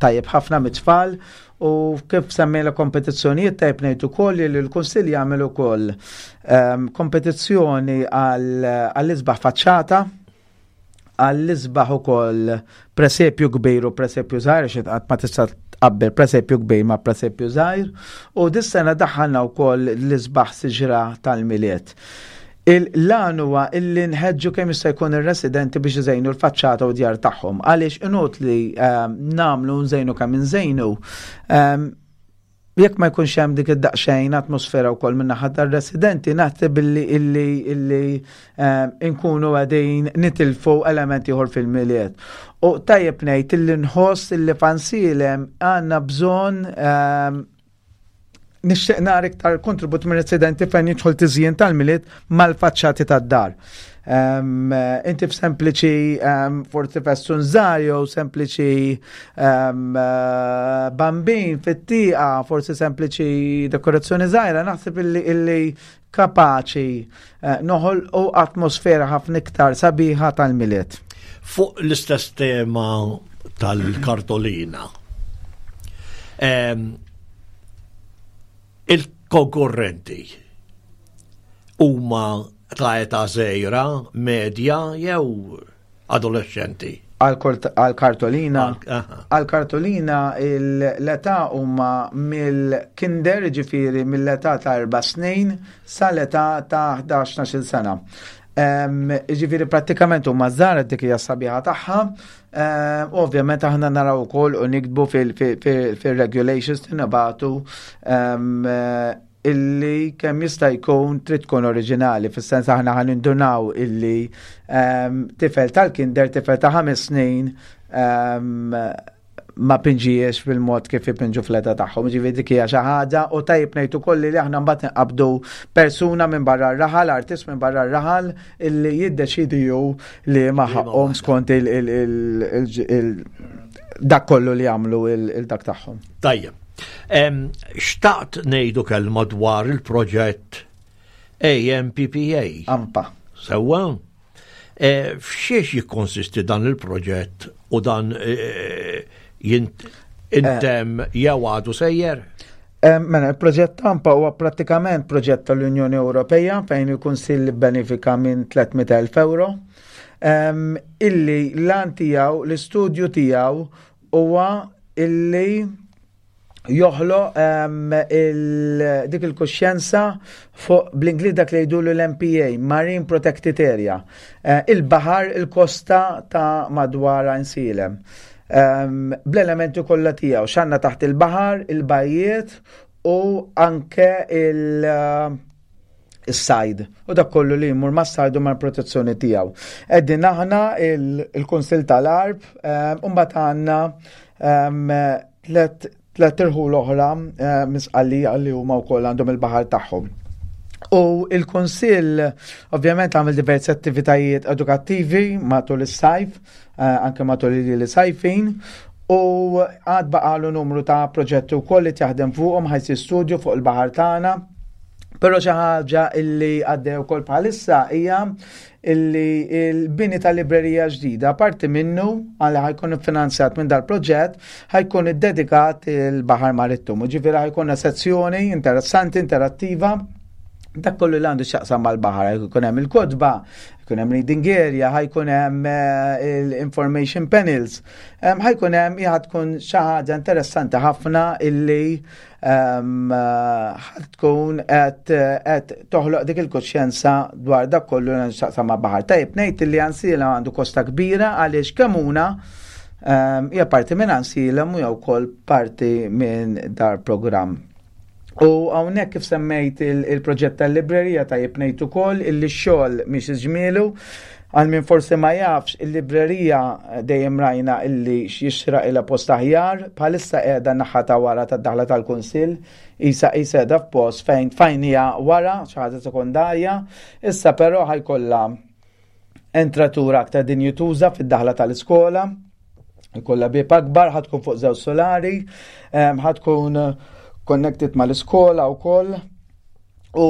tajjeb ħafna mit-tfal. U kif semmejna kompetizzjonijiet, tajb ngħid ukoll li l-Kunsill jagħmel ukoll kompetizzjoni għall-isbaħ faċċata, għall-isbaħ ukoll presepju kbir u presepju żgħir, xi qatt ma tista' tqabbel presepju kbir ma' presepju żgħir, u dis-sena daħħalna wkoll l-isbaħ siġra tal-Milied. Il-lan huwa illi nħeġġu kemm jista' jkun ir-residenti biex iżejnu l-faċċata u djar tagħhom, għaliex inutli nagħmlu nżejnu kemm inżejnu jekk ma jkunx hemm dik id-daqsxejn atmosfera wkoll minn naħa tar-residenti, naħseb billi illi illi nkunu qegħdin nitilfu elementi ieħor fil-Milied. U tajjeb ngħid illi nħoss illi f'Għajnsielem għandna bżonn, nixtieq nara iktar kontribut minn residenti fejn jidħol tiżjin tal-Milied mal-faċċati tad-dar. Inti f'sempliċi forsi festun żgħar jew sempliċi bambin fit-tieqa, forsi sempliċi dekorazzjoni żgħira, naħseb illi illi kapaċi eh, noħolqu atmosfera ħafna iktar sabiħa tal-Milied. Fuq l-istess tema tal-kartolina. Il-konkurrenti huma ta' età żgħira, medja jew adolescenti? Għal-kartolina, għal-kartolina l-età huma mill-kinder, ġifieri mill-età ta' erba' snin sa l-età ta' ħdax sena. Ġifieri prattikament huma żgħar, dik hija sabiħa tagħha. Ovvjament aħna naraw ukoll u niktbu fil-regulations nibagħtu illi kemm jista' jkun trid tkun oriġinali, fis-sens aħna ħa nindunaw illi tifel tal-kinder, tifel ta' ħames snin ma pinġijiex fil-mod kif ipinġu fl-età tagħhom. Ġifieri dik hija xi ħaġa, u tajjeb ngħid ukoll li aħna mbagħad nqabdu persuna minn barra r-raħal, artist minn barra r-raħal illi jiddeċidi ju li ma ħaqhom skont il dak kollu li jagħmlu il-dak tagħhom. Tajjeb. Xtaqt ngħidu kelma dwar il-proġett A M P P A. AMPA. Sewwa? E, f'xiex jikkonsisti dan il-proġett u dan e, intemm jew għadu sejjer? Mela, il-proġett AMPA huwa prattikament proġett tal-Unjoni Ewropea fejn il-Kunsill benefika minn tliet mitt elf euro. Illi l-għan tiegħu, l-istudju tiegħu huwa illi joħloq dik il-kuxjenza fuq, bl-Ingliż dak li jgħidulu l-M P A, Marine Protected Area. Eh, il-baħar, il-kosta ta' madwar Għajnsielem. Bl-elementi kollha tiegħu, x'għandna taħt il-baħar, il-bajjiet u anke il- is-sajd u dak kollu li jmur ma' sajd u mal-protezzjoni tiegħu. Qegħdin aħna il-Kunsill tal-Għarb u mbagħad għandna tlet tlet irħul oħra eh, misqalli li huma wkoll għandhom il-baħar tagħhom. U il-Kunsill ovvjament għamel diversi attivitajiet edukattivi matul is-sajf, eh, anke matul il sajfin, u għad baqalu numru ta' proġetti wkoll li jaħdem fuqhom, ħa jsir studju fuq il-baħar tagħna. Però xi ħaġa illi għaddew ukoll bħalissa hija illi il-bini tal-librerija ġdida, parti minnu għalli ħa jkun finanzjat minn dal-proġett, ħa jkun iddedikat il-Baħar Marittimu. Ġifieri ħa jkun sezzjoni interessanti, interattiva, dak kollu li għandu x'jaqsam mal-baħar, jkun hemm il-kotba, jkun hemm Ħa jkun hemm reading area, ħa jkun hemm eh, il-information panels, ħa jkun hemm ħa tkun xi ħaġa interessanti ħafna illi ħa tkun qed toħloq dik il-kuxjenza dwar dak kollu x'jaqsam ma' baħar. Tajjeb ngħid illi Għajnsielem għandu kosta kbira għaliex Kemmuna hija parti minn Għajnsielem u jew ukoll parti minn dal-programm. U hawnhekk kif semmejt il-proġett tal-librerija, tajjeb ngħid ukoll illi x-xogħol miexi ġmielu. Għal min forsi ma jafx, il-librerija dejjem rajna illi jixraqilha post aħjar, bħalissa qiegħda naħa ta' wara tad-daħla tal-Kunsill, isa isa qiegħda f'post fejn fajnija wara, xi ħaġa sekondarja, issa però ħa jkollha entratura aktar dinjituża fid-daħla tal-iskola, ikollha bieb akbar, ħa tkun fuq żewġ solari, ħa tkun connected mal-iskola u koll. U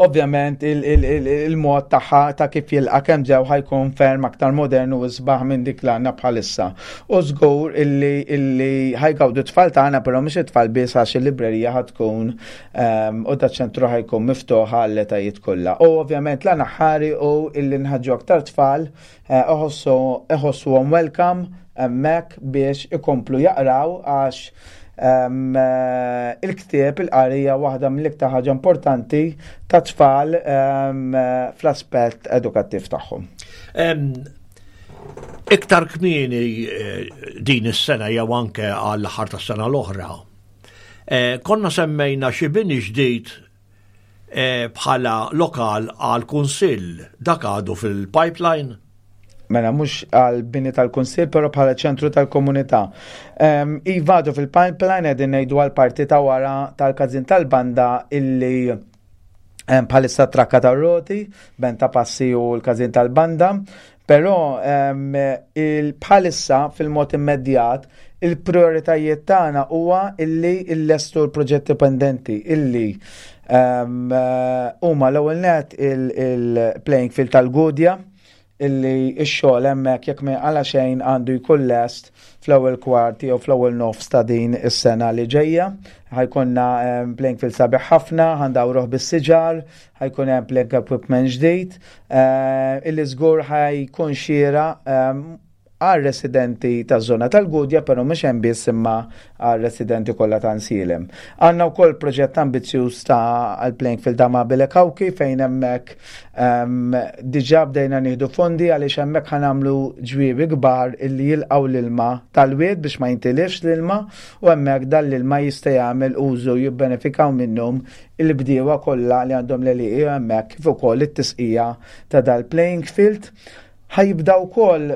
ovvjament il-mod tagħha ta' kif jilqa' kemm ġew ħa jkun ferm aktar modernu u sbaħ minn dik li għandna bħalissa. U żgur illi illi ħa jgawdu tfal tagħna, però mhux it-tfal biss, għax il-librerija ħa tkun u da ċentru ħa jkun miftuħ għall-etajiet kollha. U ovvjament l aħħari u illi nħaġġu aktar tfal iħossuhom welcome hemmhekk biex ikomplu jaqraw, għax Eh, il-ktieb, il-qarija waħda mill-iktar ħaġa importanti ta' tfal fl-aspett edukattiv tagħhom. Iktar kmieni eh, din is-sena jew anke għall-aħħar tas-sena l-oħra, eh, konna semmejna xi bini ġdid bħala lokal għal kunsill. Dak għadu fil-pipeline? Mela, mhux għal bini tal-Kunsill, però bħala ċentru tal-komunità. Um, iva, għadu fil-pipeline, qegħdin ngħidu għal parti ta' wara tal-każin tal-banda illi bħalissa trakka ta' roti, ben ta' passi u l-każin tal-banda, però um, bħalissa fil-mod immedjat il-prioritajiet tagħna huwa illi illestu l-proġetti pendenti illi huma l-ewwel net il-playing field tal-Gudja, illi x-xogħol hemmhekk, jekk ma għala xejn, għandu jkun lest fl-ewwel kwart jew fl-ewwel nofs ta' din is-sena li ġejja. Ħa jkollna playing field sabiħ ħafna, ħa ndawruh bis-siġar, ħa jkun hemm playing equipment ġdid, eh, illi żgur ħa jkun xieraq għal residenti ta' zona tal-Gudja, pero mhux hemm biss imma għal residenti kollha ta' Għajnsielem. Għandna wkoll proġett ambizzjuż ta' għal playing field ta' Mabile Kawki, fejn hemmhekk um, diġà bdejna nieħdu fondi għaliex hemmhekk ħa nagħmlu ġwiebi kbar illi jilqgħu l-ilma tal-wied biex ma jintilifx l-ilma, u hemmhekk dan l-ilma jista' jagħmel użu, jibbenefikaw minnhom il-bdiewa kollha li għandhom l-għelieqi hemmhekk, kif ukoll it-tisqija ta' dal-playing field. Ħa jibda wkoll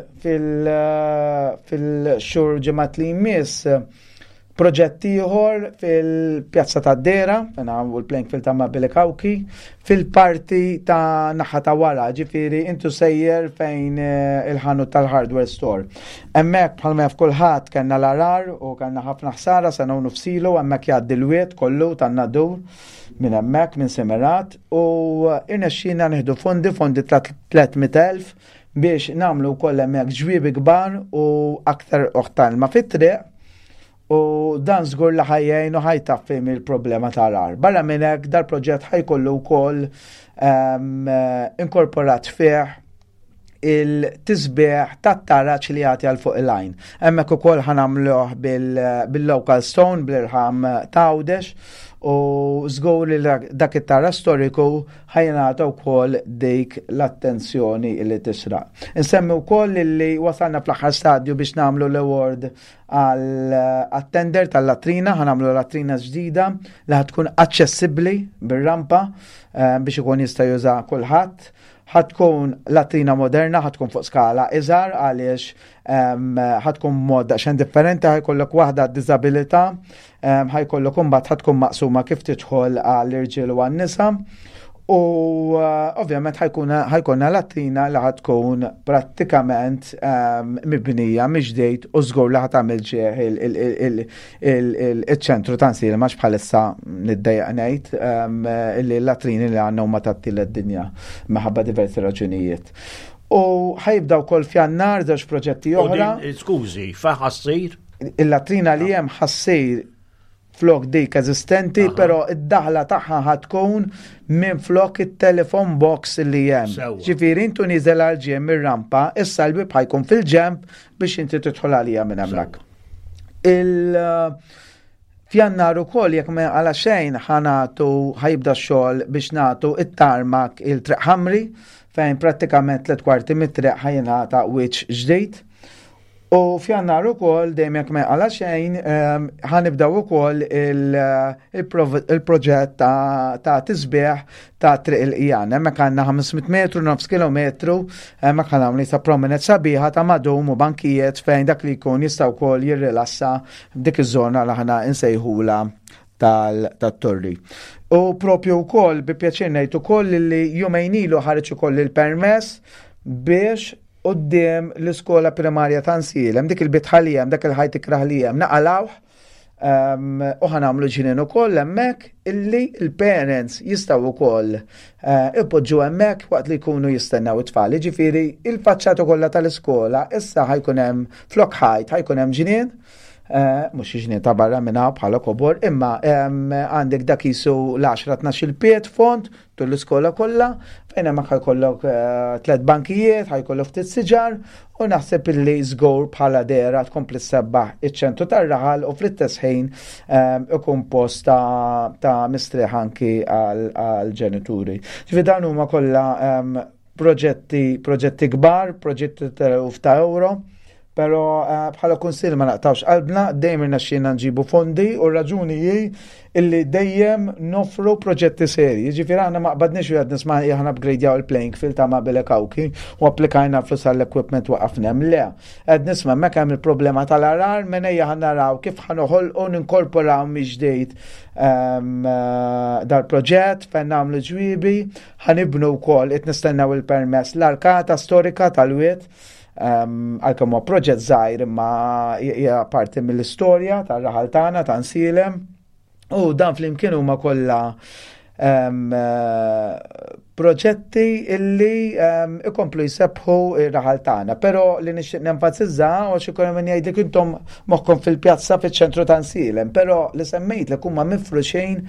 fil-xhur ġimgħat li jmiss proġett ieħor fil-Pjazza ta' Dera, u l-playing field ta' Mabile Kawki, fil-parti ta' naħa ta' wara, ġifieri intu sejjer fejn eh, il-ħanut tal-hardware store. Hemmhekk, bħalma jaf kulħadd, kellna l-għargħar u kellna ħafna ħsara sena u nofs ilu. Hemmhekk jgħaddi l-wied kollu tan-Nadur minn hemmhekk minn Semerat u irnexxina nieħdu fondi, fondi ta' tliet mitt elf biex nagħmlu wkoll hemmhekk ġwiebi kbar u aktar oħtan ma fit-triq, u dan żgur li ħa jgħin u ħa jtaffi mill-problema tal-għargħar. Barra minn hekk, dal-proġett ħa jkollu wkoll um, inkorporat fih il-tisbieħ tat-taraġ li jagħti għal fuq il-għajn. Hemmhekk ukoll ħa nagħmluh bil-local stone, bil-irħam t'Għawdex, u żgur li dak it-taraġ storiku ħa jingħata wkoll dik l-attenzjoni li tixraq. Insemmi wkoll li wasalna fl-aħħar stadju biex nagħmlu l-award għal-tender tal-latrina. Ħa nagħmlu latrina ġdida li ħa tkun aċċessibbli bir-rampa eh, biex ikun jista' juża kulħadd. Ħa tkun latrina moderna, ħa tkun fuq skala iżgħar għaliex ħa tkun mod daqsxejn differenti, ħa jkollok waħda disabilità, ħa jkollok imbagħad ħa tkun maqsuma kif tidħol għall-irġiel u għan-nisa. U uh, ovvjament ħa jkollna latrina li ħa tkun prattikament mibnija mill-ġdid u żgur li ħa tagħmel ġieħ il-ċentru ta' Għajnsielem, għax bħalissa niddejjaq ngħid li l-latrini li għandna huma tat-tielet dinja minħabba diversi raġunijiet. U ħa jibda wkoll f'Jannar żewġ proġetti oħra. Skużi, fejn ħa ssir? Il-latrina li hemm ħa ssir Flok dik eżistenti, però id-daħla tagħha ħa tkun minn flok it-telephone box li hemm. Sewwa. Ġifieri intu nieżel għal-ġenb mir-rampa, issa l-bib ħa jkun fil-ġenb biex inti tidħol għalija minn hemmhekk. Il F'Jannar ukoll, jekk ma għala xejn, ħa nagħtu, ħa jibda x-xogħol biex nagħtu it-tarmac il-Triq Ħamri, fejn prattikament tliet kwarti mit-triq ħa jingħata wiċċ ġdid. U f'Jannar ukoll, dejjem jekk ma għala xejn, ehm, ħa nibdew ukoll il- il-prov- il-proġett ta' ta' tisbieħ ta' Triq il-Qjan. Hemmhekk għandna ħames mitt metru, nofs kilometru, hemmhekk ħa nagħmlu ta' promenade sabiħa ta' madum u bankijiet fejn dak li jkun jista' wkoll jirrilassa f'dik iż-żona li aħna nsejħula tal-torri. U propju wkoll bi pjaċir ngħid ukoll li jumejn ilu ħareġ ukoll il-permess biex quddiem l-iskola primarja ta' Għajnsielem, dik il-bitħa li hemm, dak il-ħajt ikrah li hemm, naqalgħuh um, u ħa nagħmlu ġnien ukoll hemmhekk illi il-parents jistgħu wkoll uh, ipoġġu hemmhekk waqt li jkunu jistennew it-tfal. Ġifieri il-faċċata kollha tal-iskola issa ħa jkun hemm flok ħajt, ħa jkun hemm ġnien. Uh, mhux ġnien ta' barra minna bħala kobor, imma um, għandek dak jisu l-għaxra tnax il-pied fond tul l-iskola kollha, fejn hemmhekk ħa jkollok uh, tliet bankijiet, ħa jkollok ftit siġar, u naħseb illi żgur bħala dehra tkompli ssebbaħ iċ-ċentru tar-raħal u fl-istess ħin um, ikun post ta', ta mistrieħ anki għal-ġenituri. Ġifieri dawn huma kollha um, proġetti proġetti kbar, proġetti ta' ta' euro, pero uh, bħala kunsill ma naqtawx qalbna, dejjem irnexxielna nġibu fondi u r-raġuni hi illi dejjem nofru proġetti serji. Ġifieri aħna ma qbadniex u għedna, isma', aħna upgradejaw il-playing field ta' Mabele Kawki u applikajna flus għall-equipment, waqafna hemm. Le, qed nisma' hemmhekk hemm il-problema tal-għargħar, mela ejja ħa naraw kif ħa noħolqu, ninkorporaw mill-ġdid um, uh, dal-proġett fejn nagħmlu ġwiebi, ħa nibnu wkoll, qed nistennew il-permess, l-arkata storika tal-wied, um, għalkemm huwa proġett żgħir imma hija parti mill-istorja tar-raħal tagħna ta' Għajnsielem. U dan flimkien huma kollha um, eh, proġetti illi um, ikomplu jsebbħu ir-raħal tagħna. Però li nixtieq nenfasizza, għax ikun hemm min jgħidlek intom moħħkom fil-pjazza fiċ-ċentru ta' Għajnsielem, però li semmejt li huma mifruxin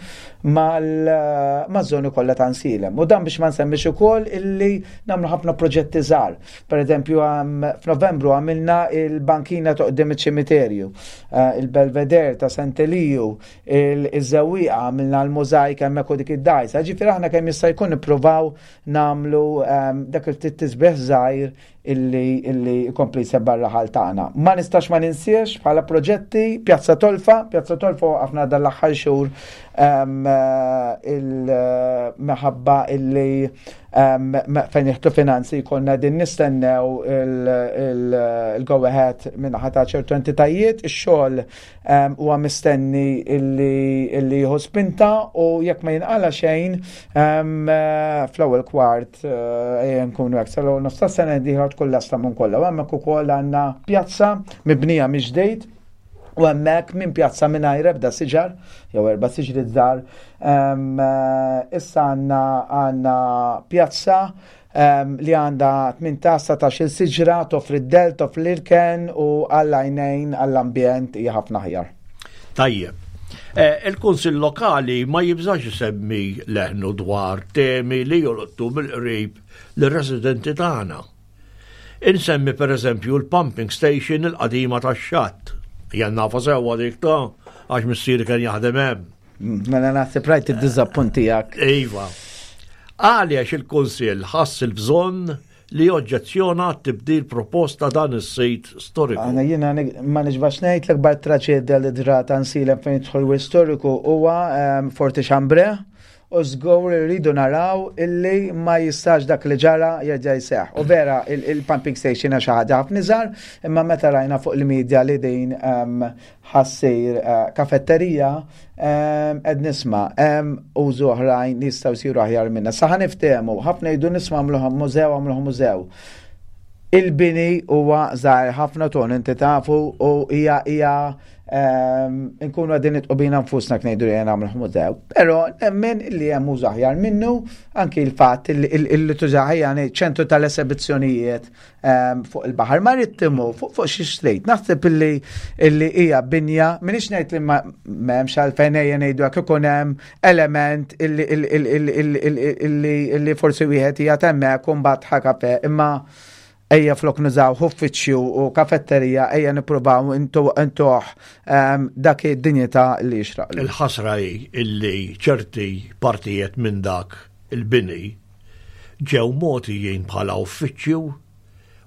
mal-żoni kollha ta' Għajnsielem. U dan biex ma nsemmix ukoll illi nagħmlu ħafna proġetti żgħar. Per eżempju, f'Novembru għamilna il-bankina ta' quddiem iċ-ċimiterju, eh, il-Belvedere ta' Sant'Eliju, iż-Żewwieqa għamilna l-mużajka hemmhekk u dik id-dajsa. Ġifieri aħna kemm jista' jkun nippruvaw nagħmlu um, dak il-ftit tisbieħ żgħir illi illi jkompli jsebbaħ ir-raħal tagħna. Ma nistax ma ninsiex bħala proġetti Pjazza Tolfa. Pjazza Tolfa waqafna dal-aħħar xhur um, il-meħabba illi um, fejn jieħdu finanzi konna din nistennew il-go ahead minn ta' ċertu entitajiet, ix-xogħol um, huwa mistenni illi illi jieħu spinta u jekk ma jinqala xejn um, fl-ewwel kwart uh, nkunu hekk sal nofs tas-sena dieħla tkun lesta minn kollha. U hemmhekk ukoll għandna pjazza mibnija mill-ġdid u hemmhekk minn pjazza mingħajr ebda siġar, jew erba' siġri żgħar, um, issa għandna għandna pjazza um, li għandha tmintax il siġra, toffri d-del, toffri l-irken u għall-għajnejn, għall-ambjent hija ħafna aħjar. Tajjeb. Eh, Il-Kunsill Lokali ma jibżax isemmi leħnu dwar temi li jolqtu mill-qrib lir-residenti tagħna. Insemmi per eżempju l-pumping station il-qadima tax-Xatt. Jien nafha sewwa dik ta' għax missieri kien jaħdem hemm. Mela naħseb rajt id-diżappunt tiegħek. Iva. Għaliex il-Kunsill ħass il-bżonn li oġġezzjona tibdil proposta dan is-sit storiku? Għana jiena ma nixbax ngħid, l-akbar traġedja li ġrat Għajnsielem fejn jidħol wirt storiku huwa um, Forti Chambray u żgur rridu naraw illi ma jistax dak li ġara jerġa' jseħħ. U vera il-pumping station xi ħaġa ħafna iżgħar, imma meta rajna fuq il-medja li din um, ħa ssir uh, kafetterija, um, ed nisma' hemm użu oħrajn li jistgħu jsiru aħjar minna. Sa ħa niftehmu, ħafna jgħidu, nisma', għamluha mużew, għamluha mużew. Il-bini huwa żgħir ħafna ton inti tafu u hija hija ehm, nkunu qegħdin nidħqu bina nfusna ngħidu li nagħmlu mużew. Però nemmen li hemm użu aħjar minnu anki il-fatt li tuża ħajja ċentru tal-esebizzjonijiet ehm, fuq il-baħar marittimu, fuq fuq xi street. Naħseb illi illi hija binja, m'iniex ngħid li ma m'hemmx għalfejn ejja ngħidu hekk ikun hemm element illi illi illi forsi wieħed hija hemmhekk u mbagħad ħa kafe, imma ejja flok nużaw uffiċċju u kafetterija, ejja nippruvaw intuh ehm, dak id-dinjità li jixraq. Il-ħasra hi illi ċerti partijiet minn dak il-bini ġew mogħtijin bħala uffiċċju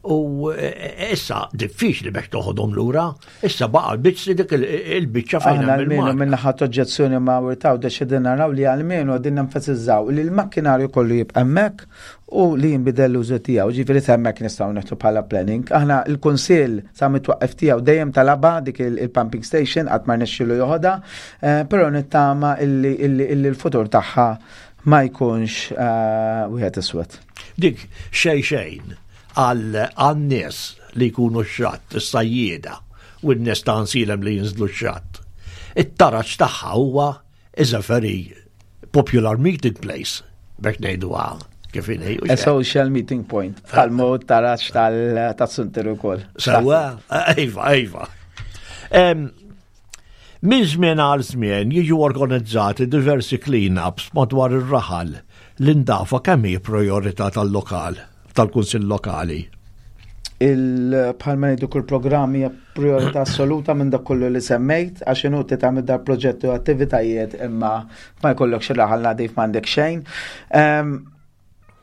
u e, e, issa diffiċli biex toħodhom lura, issa baqa' l-biċċi dik il-biċċa fejn Aħna almenu minn ħadd oġġezzjoni ma' wirtaw deċidina naraw li almenu għadin nenfasizzaw li l-makkinarju kollu jibqa' hemmhekk u li jinbidel l-użu tiegħu. Ġifieri hemmhekk nistgħu neħtu bħala planning. Aħna l-Kunsill sa mitwaqqef tiegħu dejjem talaba dik il-pumping station, qatt ma rnexxielu joħodha, eh, però nittama illi l-futur tagħha ma jkunx eh, wieħed iswed. Dik xejn xejn għal nies li jkunu x-xatt, is-sajjieda u n-nies ta' Għajnsielem li jinżlu x-xatt. It-taraġ tagħha huwa is a very popular meeting place, biex ngħidu kif inhi. A social meeting point, bħalma taraġ tal-suntir ukoll. Sewwa, iva, iva. Minn żmien għal żmien jiġu organizzati diversi clean-ups madwar ir-raħal. L-indafa kemm hi priorità tal-lokal, tal-Kunsill Lokali? Il bħalma ngħidu kull programm hija priorità assoluta minn dak kollu li semmejt, għax inutli tagħmel dar proġetti u attivitajiet imma ma jkollok xi raħal nadif, m'għandek xejn.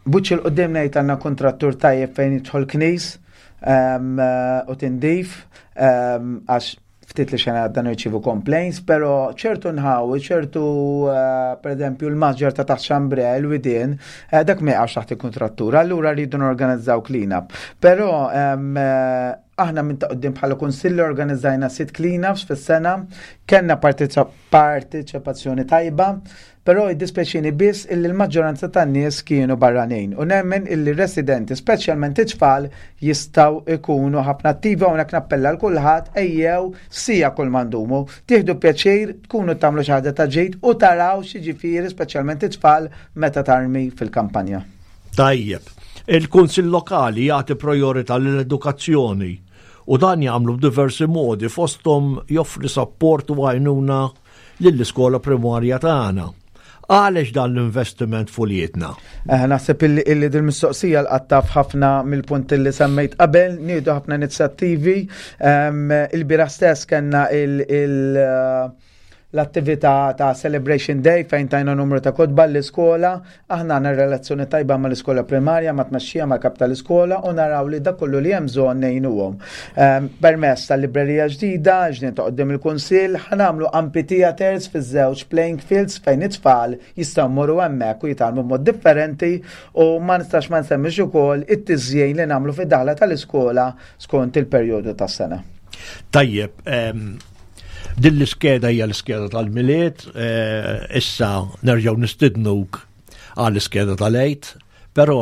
Buċ il-qoddim ngħid għandna kontrattur tajjeb fejn jidħol knis u tindif, għax ftit li xena dan irċivu complaints, pero ċertu nħawi, ċertu, eh, per eżempju, l-maġġar ta' taħt Xambre, l-widien, eh, dak ma jaqax taħt il-kontrattura, allura rridu norganizzaw clean-up. Pero eh, aħna minn ta' qoddim bħala kunsilli organizzajna sitt clean-ups fis-sena, kellna parteċipazzjoni tajba, però jiddispjaċini biss illi l-maġġoranza tan-nies kienu barranin. U nemmen illi residenti, speċjalment it-tfal, jistgħu ikunu ħafna attivi. Hawnhekk nappella l kulħadd, ejjew sija kull mandumu, tieħdu pjaċir, tkunu tagħmlu xi ħaġa ta' ġid u taraw xi speċjalment it-tfal meta tarmi fil-kampanja. Tajjeb, il-Kunsill Lokali jagħti priorità lill-edukazzjoni u dan jagħmlu b'diversi modi, fosthom joffri sapport u għajnuna lill-iskola primarja tagħna. Għaliex dan l-investiment f'uliedna? Eh, naħseb illi, illi dil-mistoqsija l-qattaf ħafna mill-punti li semmejt qabel, nieħdu ħafna inizjattivi. Um, Il-bieraħ stess kellna il-, il l-attività ta' Celebration Day fejn tajna numru ta' kotba l-iskola. Aħna għandna relazzjoni tajba ma' l-iskola primarja, ma' tmexxija, ma' kap tal-iskola u naraw li dak kollu li hemm bżonn ngħinuhom. Um, permess tal-librerija ġdida, ġdida ta' qoddim il-Kunsill, ħa nagħmlu amphitheaters fiż-żewġ playing fields fejn it-tfal jistgħu jmorru hemmhekk u jitgħallmu b'mod differenti u ma nistax ma nsemmix ukoll it-tiżjin li nagħmlu fid-daħla tal-iskola skont il-perjodu tas-sena. Tajjeb, em, din l-iskeda hija l-iskeda tal-Milied, eh, issa nerġgħu nistidnuk għall-iskeda tal-Għid, però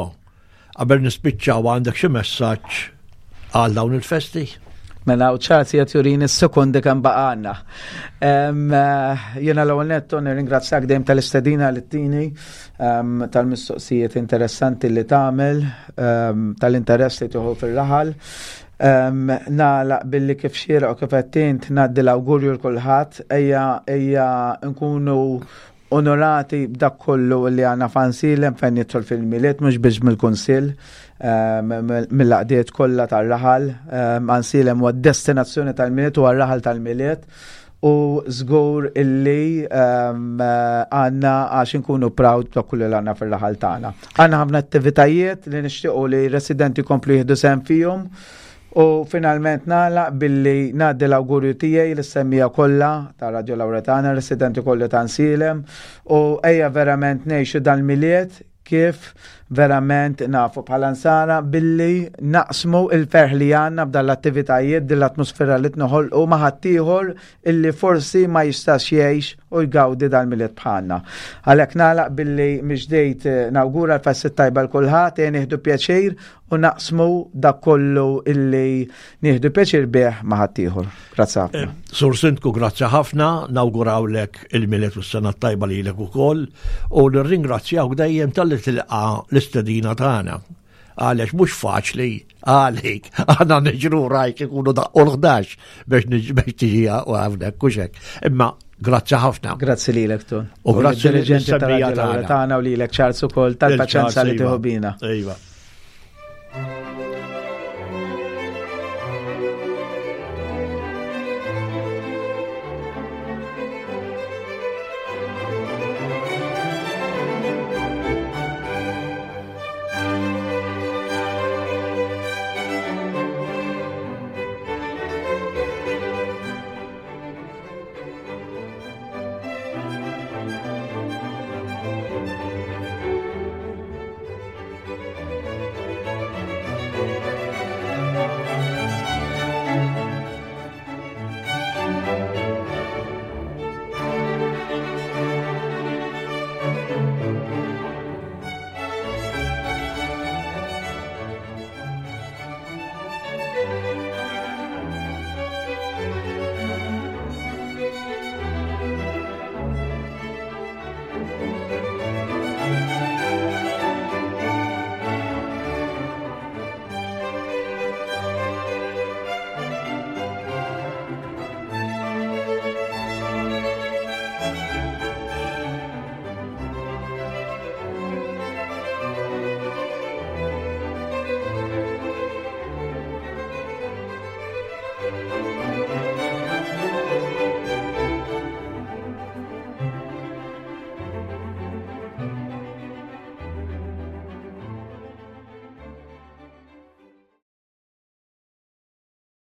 qabel nispiċċaw, għandek xi messaġġ għal dawn il-festi? Mela, u ċarzi qed jurini s-sekondi kemm baqgħalna. Jiena l-ewwel netto nirringrazzjak dejjem tal-istedina li ttini, em, tal-mistoqsijiet interessanti li tagħmel, em, tal-interess li tieħu fir-raħal. Um, Nagħlaq billi kif xieraq u kif għedt int ngħaddi l-awgurju 'l kulħadd, ejja ejja nkunu onorati b'dak kollu li għandna f'Għajnsielem fejn jidħol fil-Milied, mhux biex mill-Kunsill, mill-għaqdiet kollha tar-raħal. Għajnsielem huwa destinazzjoni tal-Milied u għar-raħal tal-Milied u żgur illi għandna għax nkunu proud ta' kullu li għandna fil-raħal tagħna. Għandna ħafna attivitajiet li nixtiequ li residenti komplu jieħdu sehem fihom. U finalment nagħlaq billi ngħaddi l-awgurju tiegħi lis-semmiegħa kollha ta' Radio Lauretana, residenti kollha ta' Għajnsielem, u ejja verament ngħixu dal-Milied kif verament nafu bħala nsara billi naqsmu il-ferħ li għandna b'dan l-attivitajiet, din l-atmosfera li tnoħolqu ma' ħaddieħor illi forsi ma jistax jgħix u jgawdi dal-Milied bħalna. Għalhekk nagħlaq billi mill-ġdid nawgura l-festi tajba lil kulħadd, nieħdu pjaċir u naqsmu dak kollu illi nieħdu pjaċir bih ma' ħaddieħor. Grazzi ħafna. Eh, Sur Sindku, grazzi ħafna, nawgurawlek il-Milied u s-sena tajba lilek ukoll u nirringrazzjawk dejjem talli tilqa' l-istedina tagħna. Għaliex mhux faċli għalik, aħna niġru rajk ikunu daqqu l-ħdax biex biex tiġi hawnhekk u hekk. Imma grazzi ħafna. Grazzi lilek Tun. U grazzi dirigenti tagħna u lilek Charles ukoll tal-paċenza li tieħu bina. Iva. Thank you.